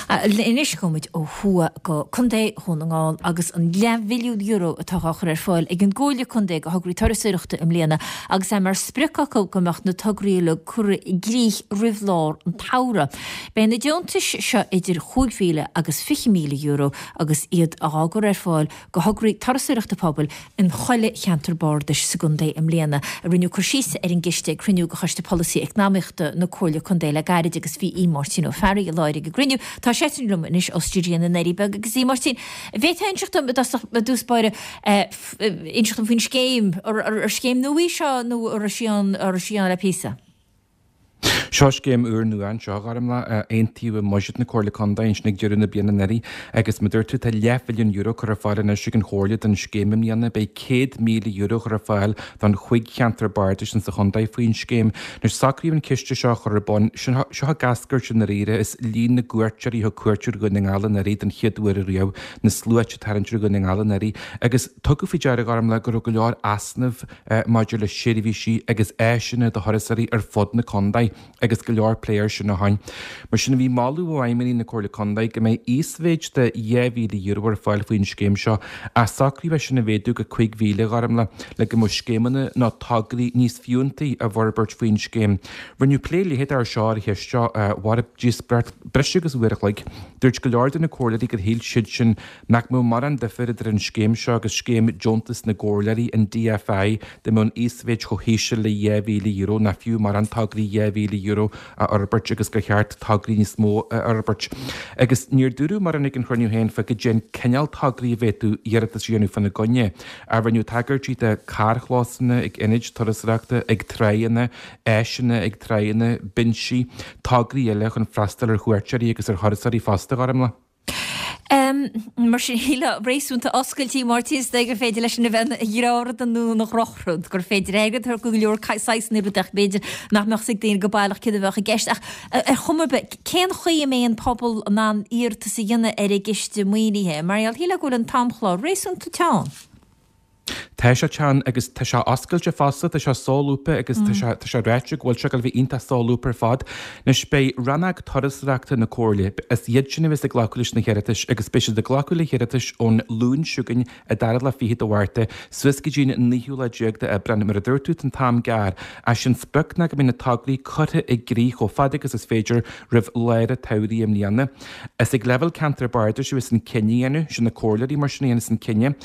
Anois gabhfaimid ó thuaidh go Contae Dhún na nGall agus an leathmhilliún euro atá á chur ar fáil ag an gComhairle Contae do thograí turasóireachta i mbliana agus é mar sprioc acu go mbeadh na tograí uilig curtha i gcrích roimh lár an tsamhraidh. Beidh na deontais seo idir 5,000 agus €20,000 agus iad á gcur ar fáil do thograí turasóireachta pobail in chuile cheantar bardais sa gcontae i mbliana. Rinneadh cur síos ar an gciste ag cruinniú de Choiste Polasaí Eacnamaíochta na Comhairle Contae le gairid agus bhí Aodh Máirtín Ó Fearraigh i láthair ag an gcruinniú. Tá seisean liom anois ó stiúideo na nDoirí Beaga agus a Mháirtín, an bhféadfá inseacht dom i dtosach, i dtús báire, inseacht dom faoin scéim, ar scéim nua í seo nó an raibh sí ann, an raibh sí ann le píosa? Seo scéim úrnua anseo, a Ghormlaith, a aontaíodh i mbuiséad na Comhairle Contae ansin ag deireadh na bliana anuraidh agus mar a dúirt tú tá leathmhilliún euro curtha ar fáil anois ag an Chomhairle don scéim i mbliana. Beidh €100,000 curtha ar fáil don chúig cheantar bardais insa chontae faoin scéim. Anois socraíodh an ciste seo a chur ar bun, seo ag eascairt i ndáiríre as líon na gcuairteoirí a thug cuairt ar Dhún na nGall anuraidh don chéad uair ariamh, na sluaite ag tarraingt ar Dhún na nGall anuraidh agus tugadh faoi deara a Ghormlaith go raibh go leor easnamh maidir le seirbhísí agus áiseanna do thurasóirí ar fud na contae agus go leor plé air sin ó shin. Mar sin, bhí moladh ó fheidhmeannaigh na Comhairle Contae go mbeidh íosmhéid de €2,000 ar fáil faoin scéim seo ach socraíodh é sin a mhéadú go 5,000 a Ghormlaith le go mbeadh scéimeanna nó tograí níos fiúntaí á bhforbairt faoin scéim. Rinneadh plé leitheadach air seo ar an cheist seo, mhair an díospóireacht breis agus uair a chloig. Dúirt go leor de na comhairleoirí gur shíl siadsan Nach mbeadh mórán difir idir an scéim seo agus scéim Deontas na gComhairleoirí, an DFI, dá mbeadh an íosmhéid chomh híseal le €2,000, nach fiú mórán tograí €2,000 a fhorbairt agus gur cheart tograí níos mó a fhorbairt. Agus níor dúradh mórán ag an chruinniú féin fá goidé an cineál tograí a bhféadfadh iarratas a dhéanamh fána gcoinne. Ach rinneadh tagairtí do carrchlósanna ag ionaid turasóireachta, ag tráigheanna, áiseanna ag tráigheanna, binsí, tograí eile chun freastal ar chuairteoirí agus ar thurasóirí fosta, a Ghormlaith. Mar sin, shílfeá réasúnta oscailte, Máirtín, is dóigh gur féidir leis sin a bheith ina dhea-rud nó ina dhrochrud, gur féidir airgead a thabhairt go leor saghsanna rudaí ach b'fhéidir nach mbeadh 's ag daoine go baileach céard a bheadh i gceist. Ach ar chuma ar bith, cén chaoi a mbeidh an pobal in ann iarratas a dhéanamh ar an gciste maoinithe? Mar gheall, shílfeá go bhfuil an t-amchlár réasúnta teann. Tá sé teann agus tá sé oscailte fosta, tá sé solúbtha agus tá sé, tá sé ráite go bhfuil sé ag dul a bheith iontach solúbtha ar fad. Anois beidh Rannóg Turasóireachta na Comhairle, is iad sin a bheas ag glacadh leis na hiarratais agus beidh siad ag glacadh le hiarratais ón Luan seo chugainn, an dara lá fichead de Mhárta, suas go dtí an naoú lá déag de Aibreán. Mar a dúirt tú, tá an t-am gearr. Ach sé an sprioc ná go mbeidh na tograí curtha i gcrích chomh fada agus is féidir roimh lár an tsamhraidh i mbliana. Is ag leibhéal ceantar bardais a bheas an cinneadh á dhéanamh, sin na comhairleoirí mar sin a dhéanfas an cinneadh.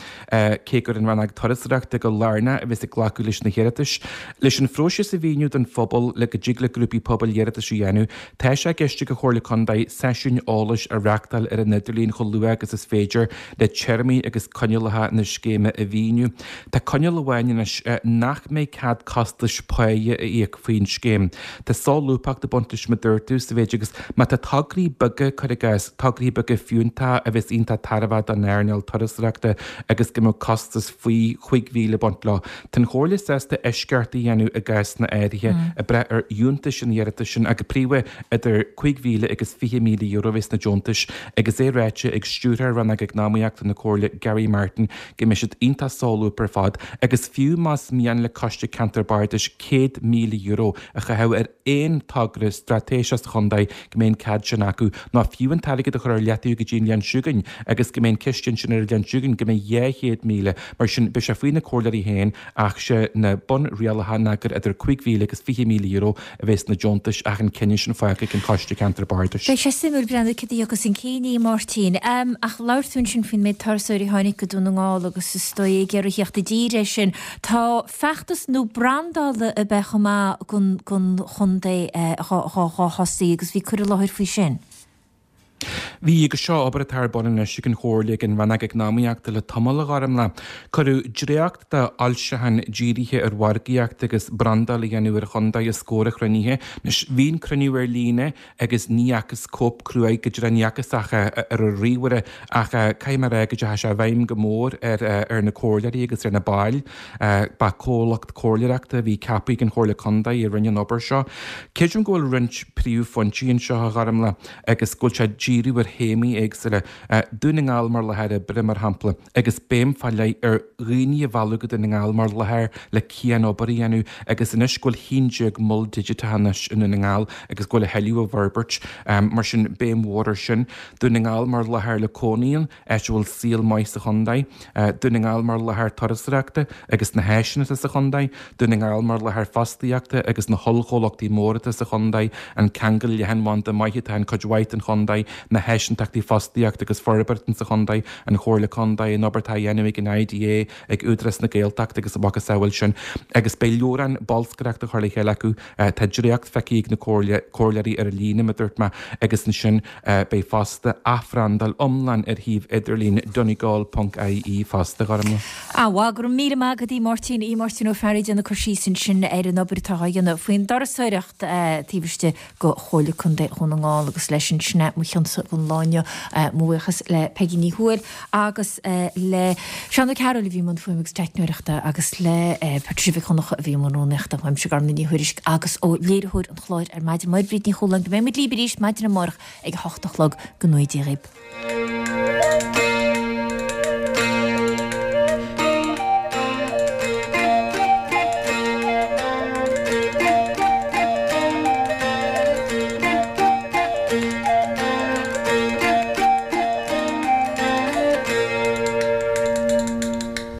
Cé gur an Rannóg Turasóireachta go lárnach a bheas ag glacadh leis na hiarratais, leis an phróiseas a mhíniú don phobal le go dtig le grúpaí pobail iarratais a dhéanamh, tá sé i gceist ag an Chomhairle Contae seisiúin eolais a reáchtáil ar an idirlíon chomh luath agus is féidir le téarmaí agus coinníollacha na scéime a mhíniú. Tá coinníoll amháin anois, nach mbeidh cead costais páighe a íoc faoin scéim. Tá solúbthacht ag baint leis mar a dúirt tú, sa mhéid agus má tá tograí beaga, cuir i gcás, tograí beaga fiúntacha a bheas iontach tairbheach don earnáil turasóireachta agus go mbeadh costas faoi 5,000 ag baint leo. Tá an Chomhairle sásta eisceacht a dhéanamh i gcásanna áirithe, ag brath ar fhiúntas an iarratais sin ach go príomha idir €5,000 agus €20,000 a bheas na deontais agus é ráite ag Stiúrthóir Rannóg Eacnamaíochta na Comhairle Gary Martin go mbeidh siad iontach solúbtha ar fad agus fiú más mian le Coiste Ceantar Bardais €100,000 a chaitheamh ar aon togra straitéiseach sa chontae go mbeidh an cead sin acu, nó fiú an t-airgead a chur ar leataobh go dtí an bhliain seo chugainn agus go mbeidh an ciste ansin ar an bhliain seo chugainn go mbeidh 200,000. Mar sin, beidh sé faoi na comhairleoirí féin ach sé na bunrialacha ná gur idir €5,000 agus €20,000 a bheas na deontais ach an cinneadh sin fágtha ag an Choiste Ceantar Bardais. Beidh sé suimiúil breathnú cad a thiocfas chun cinn, a Mháirtín. Ach labhair tú ansin faoin méid turasóirí a tháinig go Dún na nGall agus is dóigh ag iarraidh theacht i dtír air sin. Tá feachtas nua brandála ab ea chomh maith don chontae dhá thosaí agus bhí cur i láthair faoi sin. Bhí, agus seo obair atá ar bun anois ag an Chomhairle ag an Rannóg Eacnamaíochta le tamall, a Ghormlaith. Cuireadh dréacht de fhoilseachán dírithe ar mhargaíocht agus brandáil a dhéanamh ar an chontae os comhair an chruinnithe. Anois, bhí an cruinniú ar líne agus ní fhacthas cóip cruaidh go dtí ní fhacthas ach ar an ríomhaire ach caithfidh mé a rá go dteachaigh sé i bhfeidhm go mór ar na comhairleoirí agus ar na baill. Ba comhlacht comhairleoireachta a bhí ceaptha ag an Chomhairle Contae a rinne an obair seo. Creidim go bhfuil roinnt príomhphointí anseo, a Ghormlaith, agus go bhfuil sé ag díriú ar. théamaí éagsúla, Dún na nGall mar láthair oibre, mar shampla, agus béim fá leith ar dhaoine a mhealladh go Dún na nGall mar láthair le cian-obair a dhéanamh agus anois go bhfuil 11 mol digiteach anois i nDún na nGall agus go bhfuil a thuilleadh á bhforbairt, mar sin béim mhór ar sin. Dún na nGall mar láthair le cónaí ann, áit a bhfuil saol maith sa chontae. Dún na nGall mar láthair turasóireachta agus na háiseanna atá sa chontae. Dún na nGall mar láthair fostaíochta agus na hollchomhlachtaí móra atá sa chontae, an ceangal leathanbhanda maith atá in cuid mhaith den chontae, na háiseantachtaí fostaíochta agus forbartha sa chontae, an Chomhairle Contae, an obair atá á dhéanamh ag an IDA, ag Údarás na Gaeltachta agus a mhacasamhail sin. Agus beidh leabhrán bolscaireachta á chur le chéile acu. Tá dréacht feicthe ag na comhairleoirí ar líne, mar a dúirt mé, agus ansin beidh fosta athbhrandáil iomlán ar shuíomh idirlín donegal ponc ie fosta, a Ghormlaith. Ah, bhuel, go raibh míle maith agat, a Mháirtín, a Mháirtín Ó Fearraigh ag déanamh cur síos ansin ar an obair atá á dhéanamh faoin dturasóireacht taobh istigh de Chomhairle Contae Dhún na nGall agus leis sin sin é mo chionsa don lá inniu. Mo bhuíochas le Peigí Ní Thuathail agus le Seán Ó Cearúil a bhí i mbun fuaime agus teicneoireachta agus le Patricia Mhic Dhonncha a bhí i mbun rúnaíochta. Uaimse Gormlaith Ní Thuairisg agus ó léiritheoir an chláir ar maidin, Máire Bríd Ní Chualáin, go mbeidh muid libh arís maidin amárach ag a hocht a chlog. Go ngnóthaí Dia dhaoib.